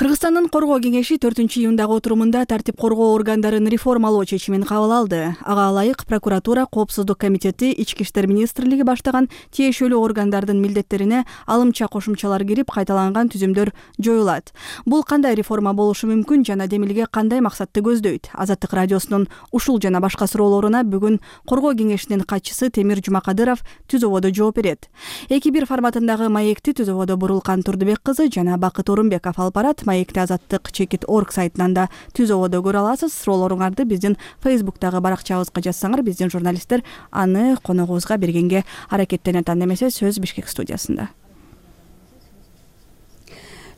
Кыргызстандын коргоо кеңеши төртүнчү июндагы отурумунда тартип коргоо органдарын реформалоо чечимин кабыл алды. Ага ылайык прокуратура, коопсуздук комитети, Ички иштер министрлиги баштаган тиешелүү органдардын милдеттерине алымча кошумчалар кирип, кайталанган түзүмдөр жоюлат. Бул кандай реформа болушу мүмкүн жана демилге кандай максатты көздөйт? Азаттык радиосунун ушул жана башка суроолоруна бүгүн коргоо кеңешинин катчысы Темир Жумакадыров түз ободо жооп берет. эки бир форматындагы маекти түз ободо Бурулкан Турдубек кызы жана Бакыт Орунбеков алып барат. Маекти азаттык чекит точка орг сайтынан да түз ободо көрө аласыз. Суроолоруңарды биздин Фейсбуктагы баракчабызга жазсаңар, биздин журналисттер аны коногубузга бергенге аракеттенет. Анда эмесе сөз Бишкек студиясында.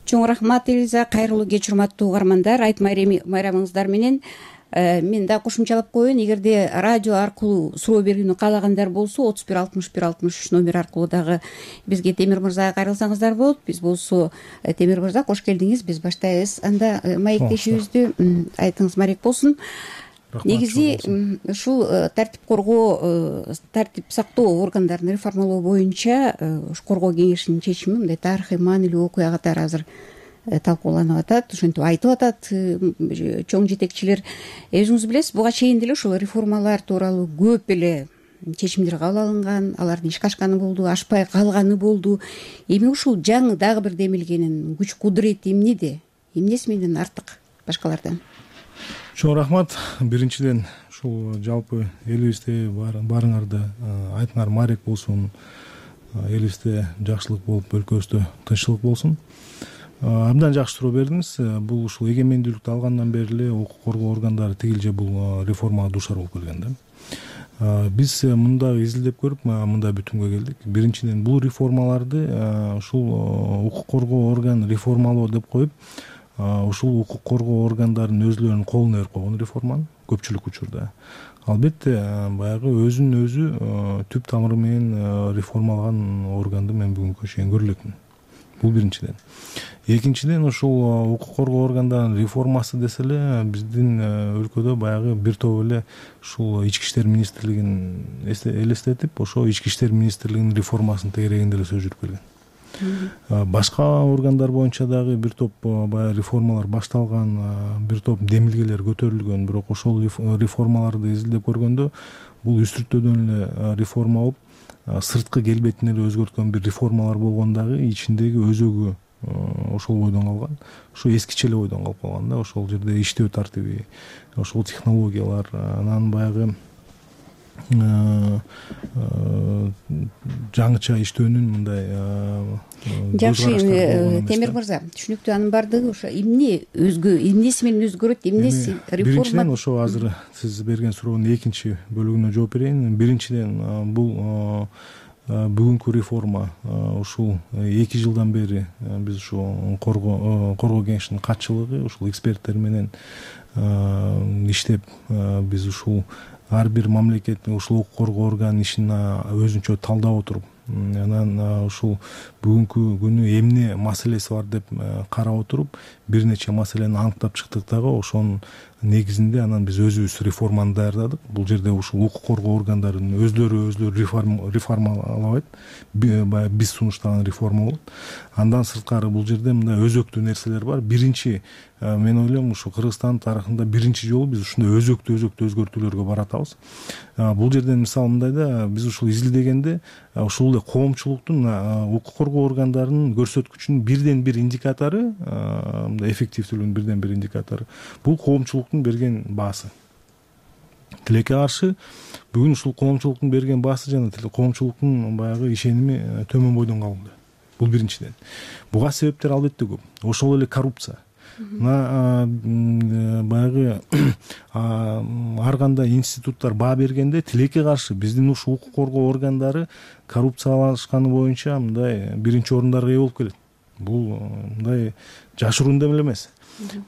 Чоң рахмат, Элиза. Кайрылуу кеч, урматтуу угармандар. Айт майрамыңыздар менен мен да кошумчалап коеюн. Эгерде радио аркылуу суроо бергенди каалагандар болсо, отуз бир алтымыш бир алтымыш үч номер аркылуу дагы бизге Темир мырзага кайрылсаңыздар болот. Биз болсо Темир мырза кош келдиңиз. Биз баштайбыз. Анда маектешибизди айтыңыз марек болсун. Негизи ушул тартип коргоо, тартип сактоо органдарын реформалоо боюнча коргоо кеңешинин чечими мындай тарыхый маанилүү окуя катары азыр талкууланып атат, ошентип айтып атат чоң жетекчилер. Өзүңүз билесиз, буга чейин деле ушул реформалар тууралуу көп эле чечимдер кабыл алынган, алардын ишке ашканы болду, ашпай калганы болду. Эми ушул жаңы дагы бир демилгенин күч кудурети эмнеде? Эмнеси менен артык башкалардан? Чоң рахмат. Биринчиден ушул жалпы элибизде барыңарда айтыңар марек болсун, элибизде жакшылык болуп, өлкөбүздө тынччылык болсун. Абдан жакшы суроо бердиңиз. Бул ушул эгемендүүлүктү алгандан бери эле укук коргоо органдары тигилже бул реформага дуушар болуп келген да. Биз мында изилдеп көрүп, мында бүтүмгө келдик. Биринчиден бул реформаларды ушул укук коргоо орган реформалоо деп коюп, ушул укук коргоо органдарынын өзүлөрүнүн колуна берип койгон реформаны көпчүлүк учурда. Албетте баягы өзүнүн өзү түп тамыры менен реформалаган органды мен бүгүнкү чейин көрө элекмин. Бул биринчиден. Экинчиден ушул укук коргоо органдарынын реформасы десе эле биздин өлкөдө баягы бир топ эле ушул Ички иштер министрлигин элестетип, ошо Ички иштер министрлигинин реформасынын тегерегинде эле сөз жүрүп келген. Башка органдар боюнча дагы бир топ баягы реформалар башталган, бир топ демилгелер көтөрүлгөн, бирок ошол реформаларды изилдеп көргөндө бул үстүртөдөн эле реформа болуп, сырткы келбетин эле өзгөрткөн бир реформалар болгон дагы ичиндеги өзөгү ошол бойдон калган, ушу эскиче эле бойдон калып калган да. Ошол жерде иштөө тартиби, ошол технологиялар, анан баягы жаңыча иштөөнүн мындай. Жакшы, Темир мырза, түшүнүктүү. Анын баардыгы ошо эмне өзгө, эмнеси менен өзгөрөт, эмнеси реформа? Биринчиден ошо азыр сиз берген суроонун экинчи бөлүгүнө жооп берейин. Биринчиден бул бүгүнкү реформа ушул эки жылдан бери биз ушу коргоо коргоо кеңешинин катчылыгы, ушул эксперттер менен иштеп, биз ушул ар бир мамлекеттин ушул укук коргоо органынын ишин өзүнчө талдап отуруп, анан ушул бүгүнкү күнү эмне маселеси бар деп карап отуруп, бир нече маселени аныктап чыктык дагы. Ошонун негизинде анан биз өзүбүз реформаны даярдадык. Бул жерде ушул укук коргоо органдарынын өздөрү өздөрү реформалабайт, биз сунуштаган реформа болот. Андан сырткары бул жерде мындай өзөктүү нерселер бар. Биринчи, мен ойлойм, ушу Кыргызстан тарыхында биринчи жолу биз ушундай өзөктүү өзөктүү өзгөртүүлөргө баратабыз. Бул жерден мисалы мындай да, биз ушул изилдегенде ушул эле коомчулуктун укук коргоо органдарынын көрсөткүчүнүн бирден бир индикатору, мындай эффективдүүлүгүнүн бирден бир индикатору бул коомчулуктун берген баасы. Тилекке каршы бүгүн ушул коомчулуктун берген баасы жана коомчулуктун баягы ишеними төмөн бойдон калды. Бул биринчиден. Буга себептер албетте көп. Ошол эле коррупция. Мына баягы ар кандай институттар баа бергенде тилекке каршы биздин ушул укук коргоо органдары коррупциялашканы боюнча мындай биринчи орундарга ээ болуп келет. Бул мындай жашыруун деле эмес.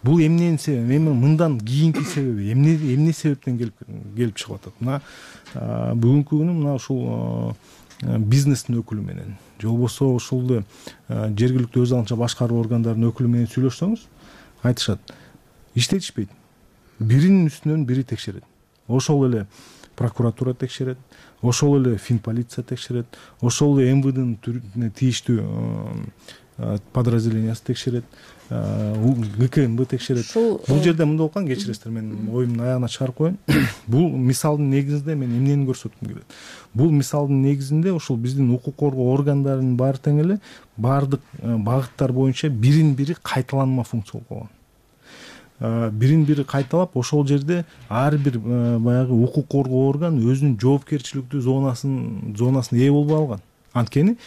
Бул эмненин себеби, эми мындан кийинки себеби эмне эмне себептен келип келип чыгып атат? Мына бүгүнкү күнү мына ушул бизнестин өкүлү менен же болбосо ушул жергиликтүү өз алынча башкаруу органдарынын өкүлү менен сүйлөшсөңүз, айтышат, иштетишпейт. Биринин үстүнөн бири текшерет. Ошол эле прокуратура текшерет, ошол эле финполиция текшерет, ошол эле эм вэ дын тийиштүү подразделениясы текшерет, гэ ка эм бэ текшерет. Бул жерде мындай болуп калган, кечиресиздер, мен оюмдун аягына чыгарып коеюн. Бул мисалдын негизинде мен эмнени көрсөткүм келет? Бул мисалдын негизинде ушул биздин укук коргоо органдарынын баары тең эле баардык багыттар боюнча бирин бири кайталанма функция болуп калган. Бирин бири кайталап, ошол жерде ар бир баягы укук коргоо орган өзүнүн жоопкерчиликтүү зонасын зонасына ээ болбой алган. Анткени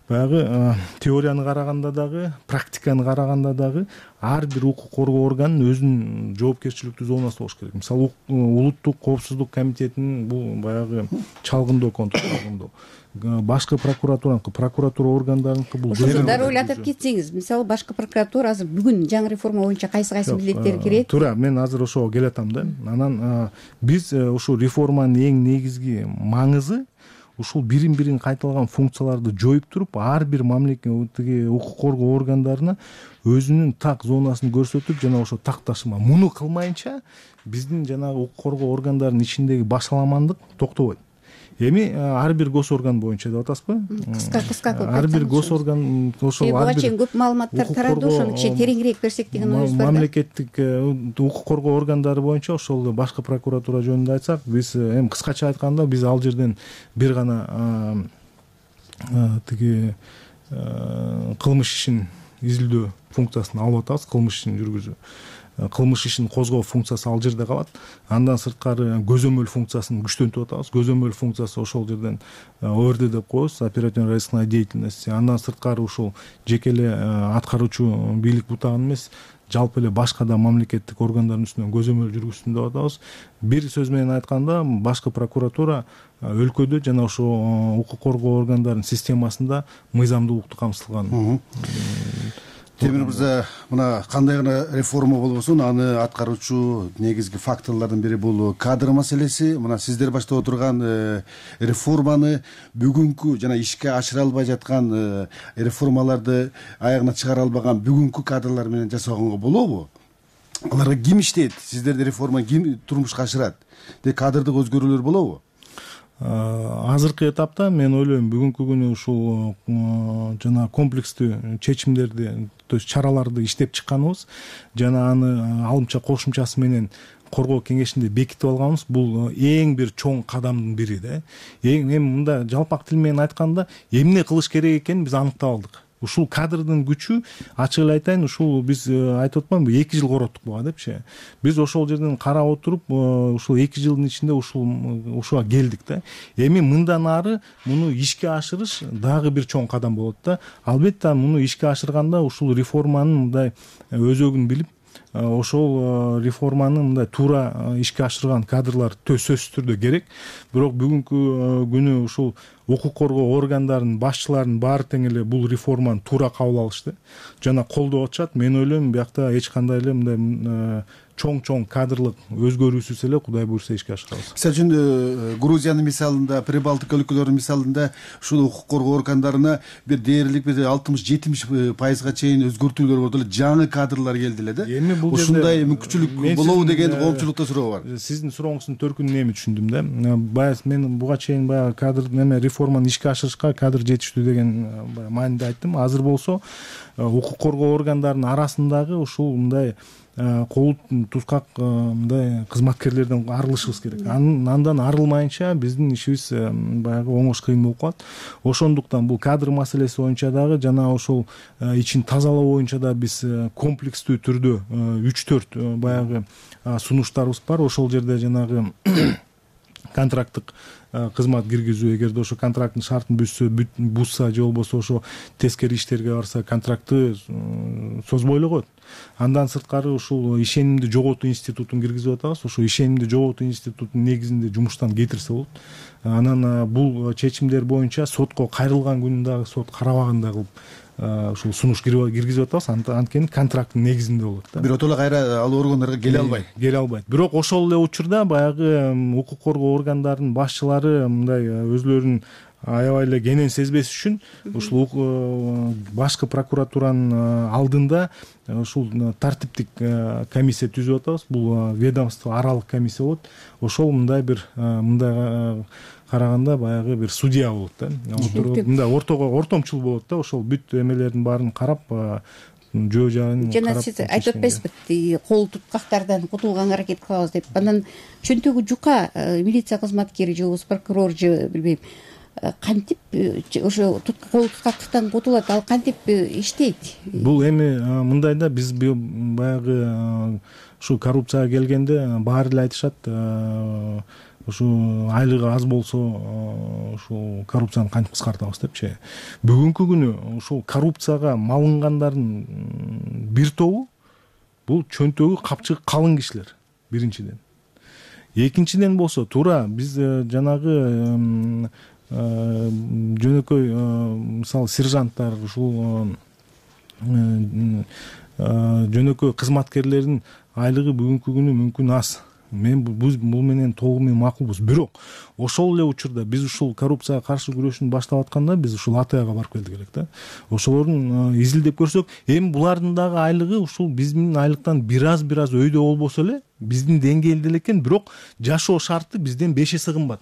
баягы теорияны караганда дагы, практиканы караганда дагы ар бир укук коргоо органынын өзүнүн жоопкерчиликтүү зонасы болуш керек. Мисалы улуттук коопсуздук комитетинин бул баягы чалгындоо контроль чалгындоо, башкы прокуратураныкы, прокуратура органдарыныкы бул. Ошондо дароо эле атап кетсеңиз, мисалы башкы прокуратура азыр бүгүн жаңы реформа боюнча кайсы кайсы милдеттери кирет? Туура, мен азыр ошого келатам да. Анан биз ушул реформанын эң негизги маңызы ушул бирин бирин кайталган функцияларды жоюп туруп, ар бир мамлекеттеги укук коргоо органдарына өзүнүн так зонасын көрсөтүп, жана ошо так ташыма. Муну кылмайынча биздин жанагы укук коргоо органдарынын ичиндеги башаламандык токтобойт. Эми ар бир гос орган боюнча деп атасызбы? Кыска кыска кылып ар бир гос орган ошол ар бир көп маалыматтар тарады, ошону кичине тереңирээк берсек деген оюбуз бар да. Мамлекеттик укук коргоо органдары боюнча ошол башкы прокуратура жөнүндө айтсак, биз эми кыскача айтканда биз ал жерден бир гана тиги кылмыш ишин изилдөө функциясын алып атабыз, кылмыш ишин жүргүзүү. Кылмыш ишин козгоо функциясы ал жерде калат. Андан сырткары көзөмөл функциясын күчтөнтүп атабыз. Көзөмөл функциясы ошол жерден о эр ди деп коебуз, оперативно-розыскная деятельность. Андан сырткары ушул жеке эле аткаруучу бийлик бутагын эмес, жалпы эле башка да мамлекеттик органдардын үстүнөн көзөмөл жүргүзсүн деп атабыз. Бир сөз менен айтканда, башкы прокуратура өлкөдө жана ошо укук коргоо органдарынын системасында мыйзамдуулукту камсыздалган. Темир мырза, мына кандай гана реформа болбосун, аны аткаруучу негизги факторлордун бири бул кадр маселеси. Мына сиздер баштап отурган реформаны бүгүнкү жана ишке ашыра албай жаткан реформаларды аягына чыгара албаган бүгүнкү кадрлар менен жасаганга болобу? Аларга ким иштейт? Сиздерди реформа ким турмушка ашырат? Де кадрдык өзгөрүүлөр болобу? Азыркы этапта мен ойлойм бүгүнкү күнү ушул жана комплекстүү чечимдерди, то есть чараларды иштеп чыкканыбыз жана аны алымча кошумчасы менен коргоо кеңешинде бекитип алганыбыз бул эң бир чоң кадамдын бири да. Эң эми мында жалпак тил менен айтканда эмне кылыш керек экенин биз аныктап алдык. ушул кадрдын күчү ачык эле айтайын, ушул биз айтып атпаймынбы эки жыл короттук буга депчи. Биз ошол жерден карап отуруп ушул эки жылдын ичинде ушул ушуга келдик да. Эми мындан ары муну ишке ашырыш дагы бир чоң кадам болот да. Албетте муну ишке ашырганда ушул реформанын мындай өзөгүн билип, ошол реформаны мындай туура ишке ашырган кадрлар сөзсүз түрдө керек. Бирок бүгүнкү күнү ушул укук коргоо органдарынын башчыларынын баары тең эле бул реформаны туура кабыл алышты жана колдоп атышат. Мен ойлойм биякта эч кандай эле мындай чоң-чоң кадрлык өзгөрүүсүз эле Кудай буйрса ишке ашырабыз. Мисалы үчүн Грузиянын мисалында, Прибалтика өлкөлөрүнүн мисалында ушул укук коргоо органдарына бир дээрлик бир алтымыш жетимиш пайызга чейин өзгөртүүлөр болду эле, жаңы кадрлар келди эле да. Эми бул ушундай мүмкүнчүлүк болобу деген коомчулукта суроо бар. Сиздин сурооңуздун төркүнүн эми түшүндүм да. Баягы мен буга чейин баягы кадр неме реформаны ишке ашырышка кадр жетиштүү деген мааниде айттым. Азыр болсо укук коргоо органдарынын арасындагы ушул мындай кол тускак мындай кызматкерлерден арылышыбыз керек. Андан арылмайынча биздин ишибиз баягы оңош кыйын болуп калат. Ошондуктан бул кадр маселеси боюнча дагы жана ошол ичин тазалоо боюнча да биз комплекстүү түрдө үч төрт баягы сунуштарыбыз бар. Ошол жерде жанагы контракттык кызмат киргизүү, эгерде ошо контракттын шартын бузса, бузса же болбосо ошо тескери иштерге барса контрактты созбой эле коет. Андан сырткары ушул ишенимди жоготуу институтун киргизип атабыз. Ошо ишенимди жоготуу институтунун негизинде жумуштан кетирсе болот. Анан бул чечимдер боюнча сотко кайрылган күнү дагы сот карабагандай кылып ушул сунуш киргизип атабыз. Анткени контракттын негизинде болот да. Биротоло кайра ал органдарга келе албайт. Келе албайт. Бирок ошол эле учурда баягы укук коргоо органдарынын башчылары мындай өзлөрүнүн аябай эле кенен сезбеш үчүн ушул башкы прокуратуранын алдында ушул тартиптик комиссия түзүп атабыз. Бул ведомство аралык комиссия болот. Ошол мындай бир мындай караганда баягы бир судья болот да. Мындай ортого ортомчул болот да. Ошол бүт эмелердин баарын карап жөө жагын жана сиз айтып атпайсызбы, кол туткактардан кутулганга аракет кылабыз деп. Анан чөнтөгү жука милиция кызматкери же болбосо прокурор же билбейм кантип ошо кол туткактыктан кутулат, ал кантип иштейт? Бул эми мындай да, биз баягы ушу коррупцияга келгенде баары эле айтышат, ушу айлыгы аз болсо ушул коррупцияны кантип кыскартабыз депчи. Бүгүнкү күнү ушул коррупцияга малынгандардын бир тобу бул чөнтөгү капчыгы калың кишилер биринчиден. Экинчиден болсо туура биз жанагы жөнөкөй мисалы сержанттар, ушул жөнөкөй кызматкерлердин айлыгы бүгүнкү күнү мүмкүн аз. Мен бул менен толугу менен макулбуз. Бирок ошол эле учурда биз ушул коррупцияга каршы күрөшүн баштап атканда биз ушул АТАга барып келдик элек да. Ошолордун изилдеп көрсөк, эми булардын дагы айлыгы ушул биздин айлыктан бир аз бир аз өйдө болбосо эле биздин деңгээлде эле экен, бирок жашоо шарты бизден беш эсе кымбат.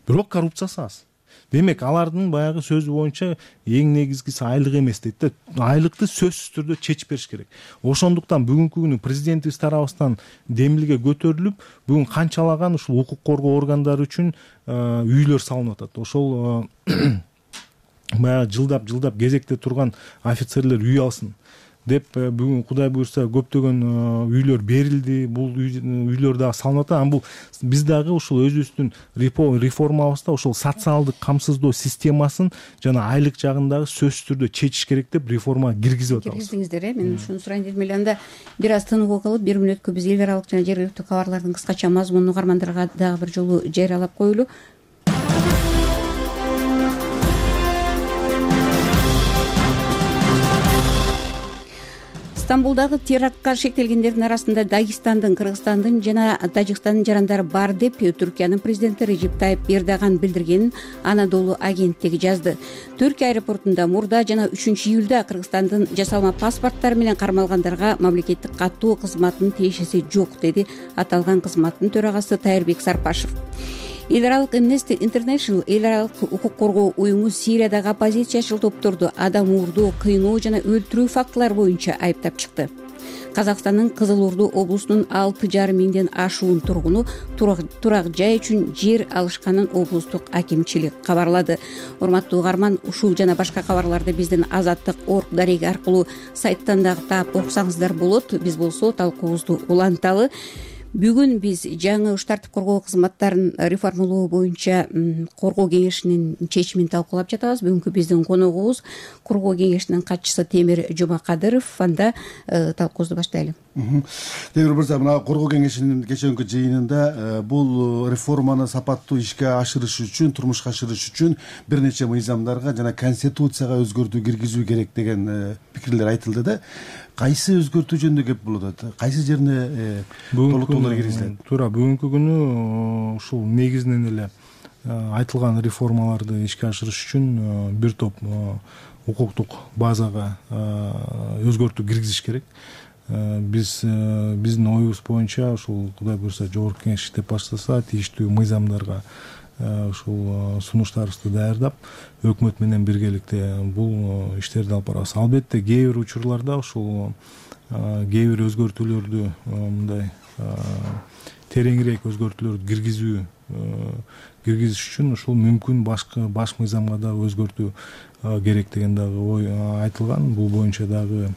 Бирок коррупциясы аз. Демек, алардын баягы сөзү боюнча эң негизгиси айлык эмес дейт да. Айлыкты сөзсүз түрдө чечип бериш керек. Ошондуктан бүгүнкү күнү президентибиз тарабыбыздан демилге көтөрүлүп, бүгүн канчалаган ушул укук коргоо органдары үчүн үйлөр салынып атат. Ошол баягы жылдап жылдап кезекте турган офицерлер үй алсын деп бүгүн Кудай буйрса көптөгөн үйлөр берилди. Бул үйлөр дагы салынып атат. Анан бул биз дагы ушул өзүбүздүн реформабызда ушул социалдык камсыздоо системасын жана айлык жагындагы сөзсүз түрдө чечиш керек деп реформа киргизип атабыз. Киргиздиңиздер, э? Мен ушуну сурайын дедим эле. Анда бир аз тыныгуу кылып, бир мүнөткө биз эл аралык жана жергиликтүү кабарлардын кыскача мазмунун угармандарга дагы бир жолу жарыялап коелу. Стамбулдагы терактка шектелгендердин арасында Дагестандын, Кыргызстандын жана Тажикстандын жарандары бар деп Түркиянын президенти Режеп Тайып Эрдоган билдиргенин Анадолу агенттиги жазды. Түркия аэропортунда мурда жана үчүнчү июлда Кыргызстандын жасалма паспорттары менен кармалгандарга мамлекеттик каттуу кызматтын тиешеси жок, деди аталган кызматтын төрагасы Тайырбек Сарпашев. Эл аралык Amnesty International эл аралык укук коргоо уюму Сириядагы оппозициячыл топторду адам уурдоо, кыйноо жана өлтүрүү фактылары боюнча айыптап чыкты. Казакстандын Кызыл Орду облусунун алты жарым миңден ашуун тургуну турак жай үчүн жер алышканын облустук акимчилик кабарлады. Урматтуу угарман, ушул жана башка кабарларды биздин Азаттык орг дареги аркылуу сайттан дагы таап окусаңыздар болот. Биз болсо талкуубузду уланталы. Бүгүн биз жаңы уш тартип коргоо кызматтарын реформалоо боюнча коргоо кеңешинин чечимин талкуулап жатабыз. Бүгүнкү биздин коногубуз коргоо кеңешинин катчысы Темир Жумакадыров. Анда талкуубузду баштайлы. Темир мырза, мына коргоо кеңешинин кечээнкү жыйынында бул реформаны сапаттуу ишке ашырыш үчүн, турмушка ашырыш үчүн бир нече мыйзамдарга жана конституцияга өзгөртүү киргизүү керек деген пикирлер айтылды да. Кайсы өзгөртүү жөнүндө кеп болуп атат? Кайсы жерине толуктоолор киргизилет? Туура бүгүнкү күнү ушул негизинен эле айтылган реформаларды ишке ашырыш үчүн бир топ укуктук базага өзгөртүү киргизиш керек. Биз биздин оюбуз боюнча ушул Кудай буюрса жогорку кеңеш иштеп баштаса тийиштүү мыйзамдарга ушул сунуштарыбызды даярдап өкмөт менен биргеликте бул иштерди алып барабыз. Албетте кээ бир учурларда ушул кээ бир өзгөртүүлөрдү мындай тереңирээк өзгөртүүлөрдү киргизүү киргизиш үчүн ушул мүмкүн башка баш мыйзамга дагы өзгөртүү керек деген дагы ой айтылган. Бул боюнча дагы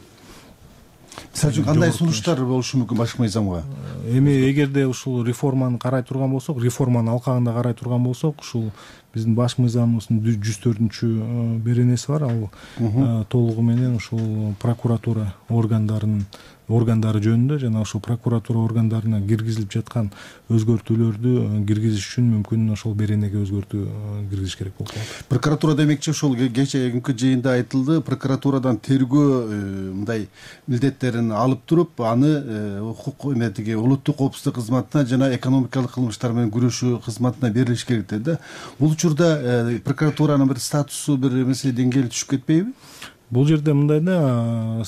мисалы үчүн кандай сунуштар болушу мүмкүн башка мыйзамга? Эми эгерде ушул реформаны карай турган болсок, реформанын алкагында карай турган болсок, ушул биздин баш мыйзамыбыздын жүз төртүнчү беренеси бар. Ал толугу менен ушул прокуратура органдарынын органдары жөнүндө жана ошол прокуратура органдарына киргизилип жаткан өзгөртүүлөрдү киргизиш үчүн мүмкүн ошол беренеге өзгөртүү киргизиш керек болуп калат. Прокуратура демекчи ошол кечээкүнкү жыйында айтылды, прокуратурадан тергөө мындай милдеттерин алып туруп, аны укук эметиги улуттук коопсуздук кызматына жана экономикалык кылмыштар менен күрөшүү кызматына берилиш керек деди да. Бул учурда прокуратуранын бир статусу, бир эмеси деңгээли түшүп кетпейби? Бул жерде мындай да,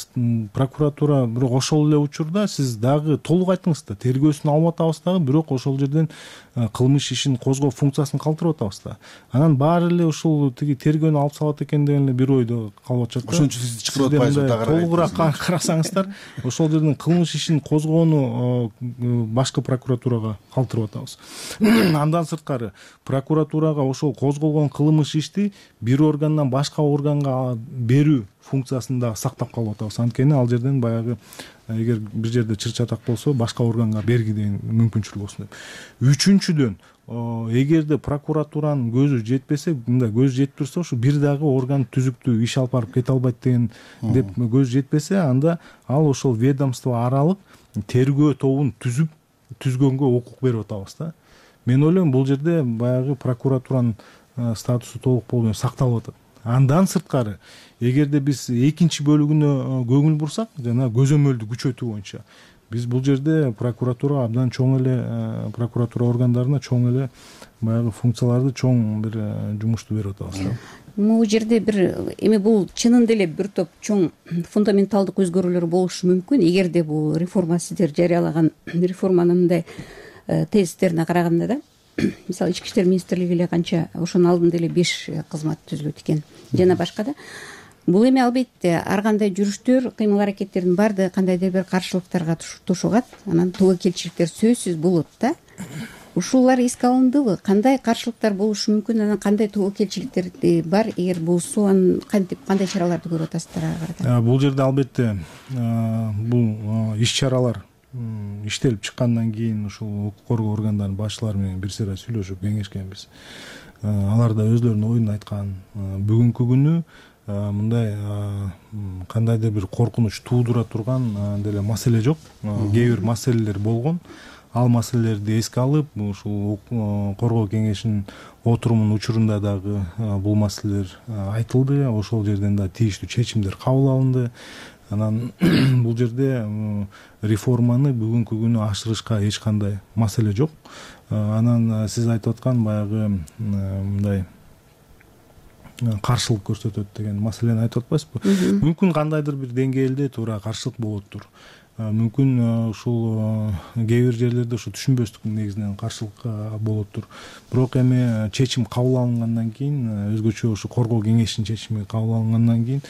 прокуратура бирок ошол эле учурда сиз дагы толук айттыңыз да, тергөөсүн алып атабыз дагы, бирок ошол жерден кылмыш ишин козгоо функциясын калтырып атабыз да. Анан баары эле ушул тиги тергөөнү алып салат экен деген эле бир ойдо калып атышат да. Ошон үчүн сиз чакырып атпайсызбы дагы? Толугураак карасаңыздар, ошол жерден кылмыш ишин козгоону башкы прокуратурага калтырып атабыз. Андан сырткары прокуратурага ошол козголгон кылмыш ишти бир органдан башка органга берүү функциясын да сактап калып атабыз. Анткени ал жерден баягы эгер бир жерде чыр чатак болсо башка органга берги деген мүмкүнчүлүк болсун деп. Үчүнчүдөн, эгерде прокуратуранын көзү жетпесе, мындай көзү жетип турса, ушу бир дагы орган түзүктүү иш алып барып кете албайт деген деп көзү жетпесе, анда ал ошол ведомство аралык тергөө тобун түзүп түзгөнгө укук берип атабыз да. Мен ойлойм бул жерде баягы прокуратуранын статусу толук болуу менен сакталып атат. Андан сырткары, эгерде биз экинчи бөлүгүнө көңүл бурсак, жана көзөмөлдү күчөтүү боюнча, биз бул жерде прокуратурага абдан чоң эле прокуратура органдарына чоң эле баягы функцияларды, чоң бир жумушту берип атабыз. Бул жерде бир эми бул чынында эле бир топ чоң фундаменталдык өзгөрүүлөр болушу мүмкүн. Эгерде бул реформа сиздер жарыялаган реформанын мындай тезистерине караганда да, мисалы ички иштер министрлиги эле канча ошонун алдында эле беш кызмат түзүлөт экен жана башка да. Бул эми албетте ар кандай жүрүштөр, кыймыл аракеттердин баардыгы кандайдыр бир каршылыктарга тушугат, анан тугакелчиликтер сөзсүз болот да. Ушулар эске алындыбы? Кандай каршылыктар болушу мүмкүн, анан кандай тугакелчиликтер бар? Эгер болсо, анан кантип кандай чараларды көрүп атасыздар ага карата? Бул жерде албетте бул иш чаралар иштелип чыккандан кийин ушул укук коргоо органдарынын башчылары менен бир сыйра сүйлөшүп кеңешкенбиз. Алар да өзлөрүнүн оюн айткан. Бүгүнкү күнү мындай кандайдыр бир коркунуч туудура турган деле маселе жок. Кээ бир маселелер болгон. Ал маселелерди эске алып, ушул коргоо кеңешинин отурумунун учурунда дагы бул маселелер айтылды. Ошол жерден да тийиштүү чечимдер кабыл алынды. Анан бул жерде реформаны бүгүнкү күнү ашырышка эч кандай маселе жок. Анан сиз айтып аткан баягы мындай каршылык көрсөтөт деген маселени айтып атпайсызбы? Мүмкүн кандайдыр бир деңгээлде туура каршылык болоттур. Мүмкүн ушул кээ бир жерлерде ушу түшүнбөстүктүн негизинен каршылык болоттур. Бирок эми чечим кабыл алынгандан кийин, өзгөчө ушу коргоо кеңешинин чечими кабыл алынгандан кийин,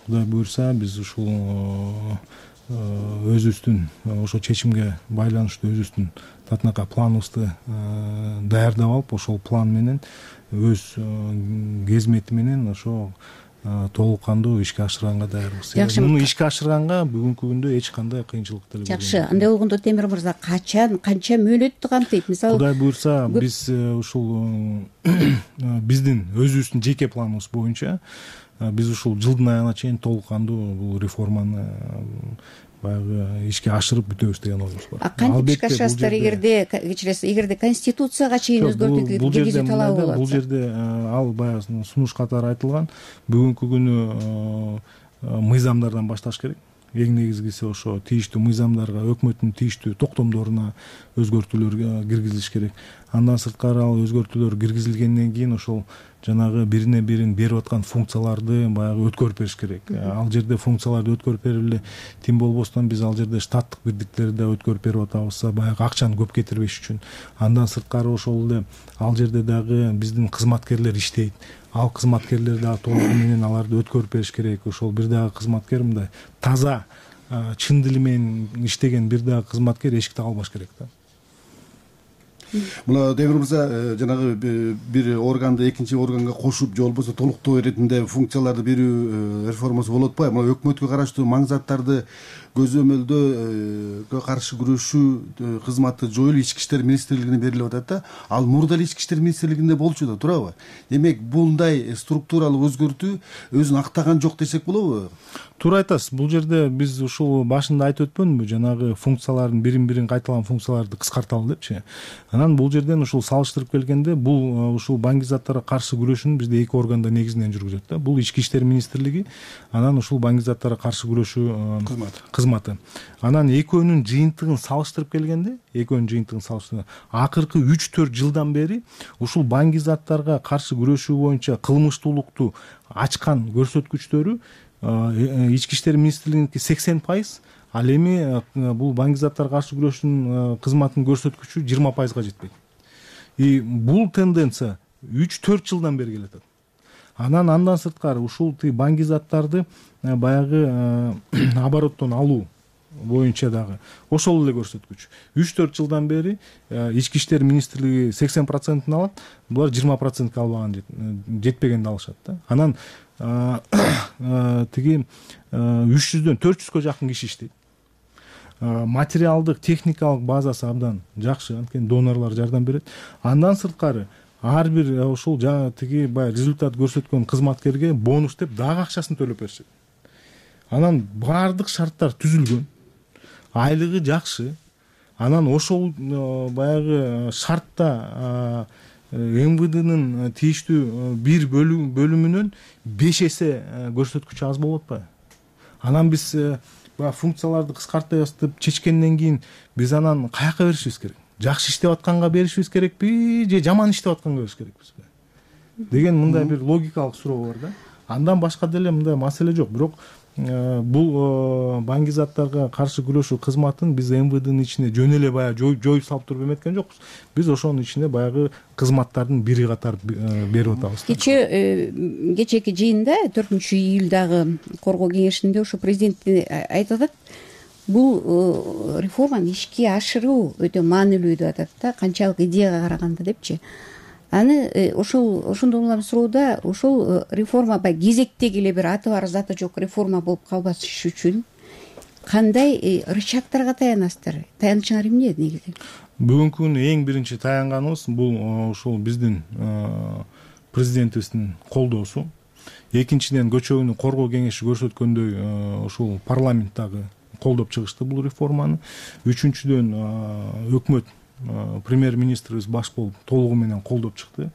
Кудай буюрса, биз ушул өзүбүздүн ошо чечимге байланыштуу өзүбүздүн татынакай планыбызды даярдап алып ошол план менен өз кезмети менен ошо толук кандуу ишке ашырганга даярбыз. Жакшы. Муну ишке ашырганга бүгүнкү күндө эч кандай кыйынчылык деле болбойт. Жакшы, андай болгондо Темир мырза качан, канча мөөнөттү камтыйт? Мисалы Кудай буйрса, биз ушул биздин өзүбүздүн жеке планыбыз боюнча биз ушул жылдын аягына чейин толук кандуу бул реформаны баягы ишке ашырып бүтөбүз деген оюбуз бар. А кантип ишке ашырасыздар эгерде кечиресиз, эгерде конституцияга чейин өзгөртүү киргизүү талабы болот? Бул жерде ал баягы сунуш катары айтылган, бүгүнкү күнү мыйзамдардан башташ керек. Эң негизгиси ошо тийиштүү мыйзамдарга, өкмөттүн тийиштүү токтомдоруна өзгөртүүлөр киргизилиш керек. Андан сырткары ал өзгөртүүлөр киргизилгенден кийин ошол жанагы бирине бирин берип аткан функцияларды баягы өткөрүп бериш керек. Ал жерде функцияларды өткөрүп берип эле тим болбостон биз ал жерде штаттык бирдиктерди да өткөрүп берип атабыз, баягы акчаны көп кетирбеш үчүн. Андан сырткары ошол эле ал жерде дагы биздин кызматкерлер иштейт. Ал кызматкерлер дагы толугу менен аларды өткөрүп бериш керек. Ошол бир дагы кызматкер мындай таза, чын дили менен иштеген бир дагы кызматкер эшикти калбаш керек да. Мына Темир мырза жанагы бир органды экинчи органга кошуп же болбосо толуктоо иретинде функцияларды берүү реформасы болуп атпайбы? Мына өкмөткө караштуу маңзаттарды көзөмөлдөө каршы күрөшүү кызматы жоюлуп ички иштер министрлигине берилип атат да. Ал мурда эле ички иштер министрлигинде болчу да, туурабы? Демек булдай структуралык өзгөртүү өзүн актаган жок десек болобу? Туура айтасыз. Бул жерде биз ушул башында айтып өтпөнбү, жанагы функциялардын бирин-бирин кайталаган функцияларды кыскарталы депчи. Анан бул жерден ушул салыштырып келгенде бул ушул баңгизаттарга каршы күрөшүүнү бизде эки органда негизинен жүргүзөт да. Бул ички иштер министрлиги, анан ушул баңгизаттарга каршы күрөшүү кызматы. кызматы. Анан экөөнүн жыйынтыгын салыштырып келгенде, экөөнүн жыйынтыгын салыштырып, акыркы үч төрт жылдан бери ушул баңгизаттарга каршы күрөшүү боюнча кылмыштуулукту ачкан көрсөткүчтөрү ички иштер министрлигиники сексен пайыз, ал эми бул баңгизаттарга каршы күрөшүүнүн кызматынын көрсөткүчү жыйырма пайызга жетпейт. И бул тенденция үч төрт жылдан бери келатат. Анан андан сырткары ушул баңгизаттарды баягы обороттон алуу боюнча дагы ошол эле көрсөткүч. үч төрт жылдан бери ички иштер министрлиги сексен процентин алат, булар жыйырма процентке албаган, жетпегенди алышат да. Анан тиги үч жүздөн төрт жүзгө жакын киши иштейт. Материалдык, техникалык базасы абдан жакшы, анткени донорлор жардам берет. Андан сырткары ар бир ушул тиги баягы результат көрсөткөн кызматкерге бонус деп дагы акчасын төлөп беришет. Анан баардык шарттар түзүлгөн, айлыгы жакшы. Анан ошол баягы шартта эм вэ днын тийиштүү бир бөлүмүнөн беш эсе көрсөткүчү аз болуп атпайбы? Анан биз баягы функцияларды кыскартабыз деп чечкенден кийин биз анан каяка беришибиз керек? Жакшы иштеп атканга беришибиз керекпи же жаман иштеп атканга бериш керекпизби деген мындай бир логикалык суроо бар да. Андан башка деле мындай маселе жок. Бирок бул баңгизаттарга каршы күрөшүү кызматын биз эм вэ днын ичине жөн эле баягы жоюп салып туруп эметкен жокпуз. Биз ошонун ичине баягы кызматтардын бири катары берип атабыз. Кече кечээки жыйында төртүнчү июлдагы коргоо кеңешинде ошо президент айтып атат, бул реформаны ишке ашыруу өтө маанилүү деп атат да, канчалык идеяга караганда депчи. Аны ошол ошондон улам суроодо ошол реформа баягы кезектеги эле бир аты бар заты жок реформа болуп калбаш үчүн кандай рычагтарга таянасыздар? Таянычыңар эмне негизи? Бүгүнкү күнү эң биринчи таянганыбыз бул ушул биздин президентибиздин колдоосу. Экинчиден көчөгүнү коргоо кеңеши көрсөткөндөй ушул парламент дагы колдоп чыгышты бул реформаны. Үчүнчүдөн өкмөт премьер-министрибиз баш болуп толугу менен колдоп чыкты.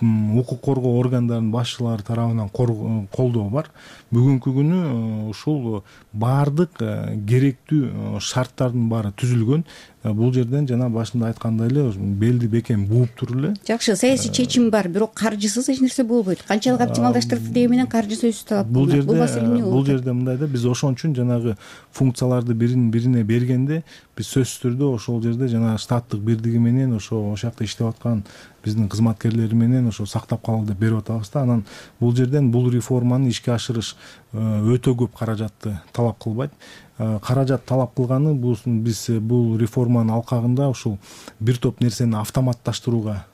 Укук коргоо органдарынын башчылары тарабынан колдоо бар. Бүгүнкү күнү ушул баардык керектүү шарттардын баары түзүлгөн. Бул жерден жана башында айткандай эле белди бекем бууп туруп эле. Жакшы, саясий чечим бар, бирок каржысыз эч нерсе болбойт. Канчалык оптималдаштырды деген менен каржы сөзсүз талап бул жерде бул жерде мындай да, биз ошон үчүн жанагы функцияларды бирин бирине бергенде биз сөзсүз түрдө ошол жерде жана штаттык бирдиги менен ошо ошол жакта иштеп аткан биздин кызматкерлери менен ошо сактап калалы деп берип атабыз да. Анан бул жерден бул реформаны ишке ашырыш өтө көп каражатты талап кылбайт. каражат талап кылганы бул биз бул реформанын алкагында ушул бир топ нерсени автоматташтырууга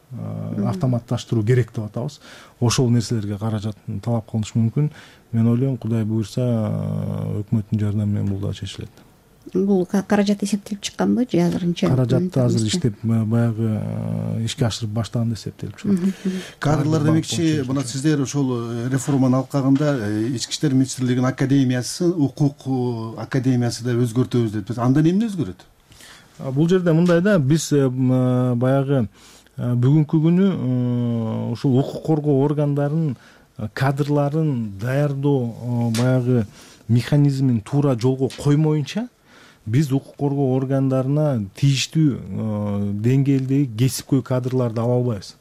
автоматташтыруу керек деп атабыз. Ошол нерселерге каражат талап кылынышы мүмкүн. Мен ойлойм, Кудай буйрса, өкмөттүн жардамы менен бул да чечилет. Бул каражат эсептелип чыкканбы же азырынча? Каражатты азыр иштеп баягы ишке ашырып баштаганда эсептелип чыгат. Кадрлар демекчи, мына сиздер ошол реформанын алкагында Ички иштер министрлигинин академиясын укук академиясы деп өзгөртөбүз деп. Анда эмне өзгөрөт? Бул жерде мындай да, биз баягы бүгүнкү күнү ушул укук коргоо органдарынын кадрларын даярдоо баягы механизмин туура жолго коймоюнча биз укук коргоо органдарына тийиштүү деңгээлдеги кесипкөй кадрларды ала албайбыз.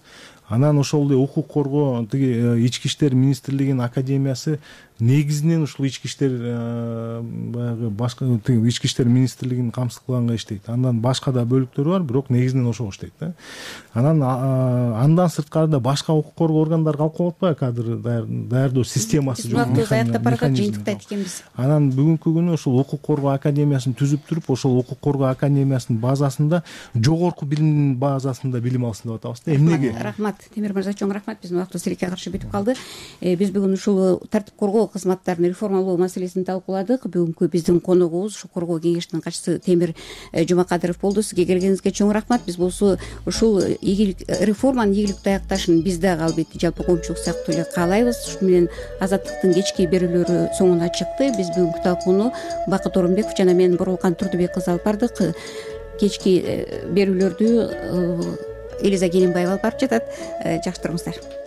Анан ошол эле укук коргоо тиги Ички иштер министрлигинин академиясы негизинен ушул ички иштер баягы башка тиги ички иштер министрлигинин камсыз кылганга иштейт. Андан башка да бөлүктөрү бар, бирок негизинен ошого иштейт да. Анан андан сырткары башка укук коргоо органдары калып калып атпайбы, кадр даярдоо системасы жок. Убактыбыз аяктап баратат, жыйынтыкта айт экенбиз. Анан бүгүнкү күнү ошол укук коргоо академиясын түзүп туруп, ошол укук коргоо академиясынын базасында жогорку билимдин базасында билим алсын деп атабыз да. Эмнеге? Рахмат, Темир мырза, чоң рахмат. Биздин убактыбыз тилекке каршы бүтүп калды. Биз бүгүн ушул тартип коргоо кызматтарын реформалоо маселесин талкууладык. Бүгүнкү биздин коногубуз ушул коргоо кеңешинин катчысы Темир Жумакадыров болду. Сизге келгениңизге чоң рахмат. Биз болсо ушул ийгилик реформанын ийгиликтүү аякташын биз дагы албетте жалпы коомчулук сыяктуу эле каалайбыз. Ушу менен Азаттыктын кечки берүүлөрү соңуна чыкты. Биз бүгүнкү талкууну Бакыт Орунбеков жана мен Боролкан Турдубек кызы алып бардык. Кечки берүүлөрдү Элиза Келинбаева алып барып жатат. Жакшы туруңуздар.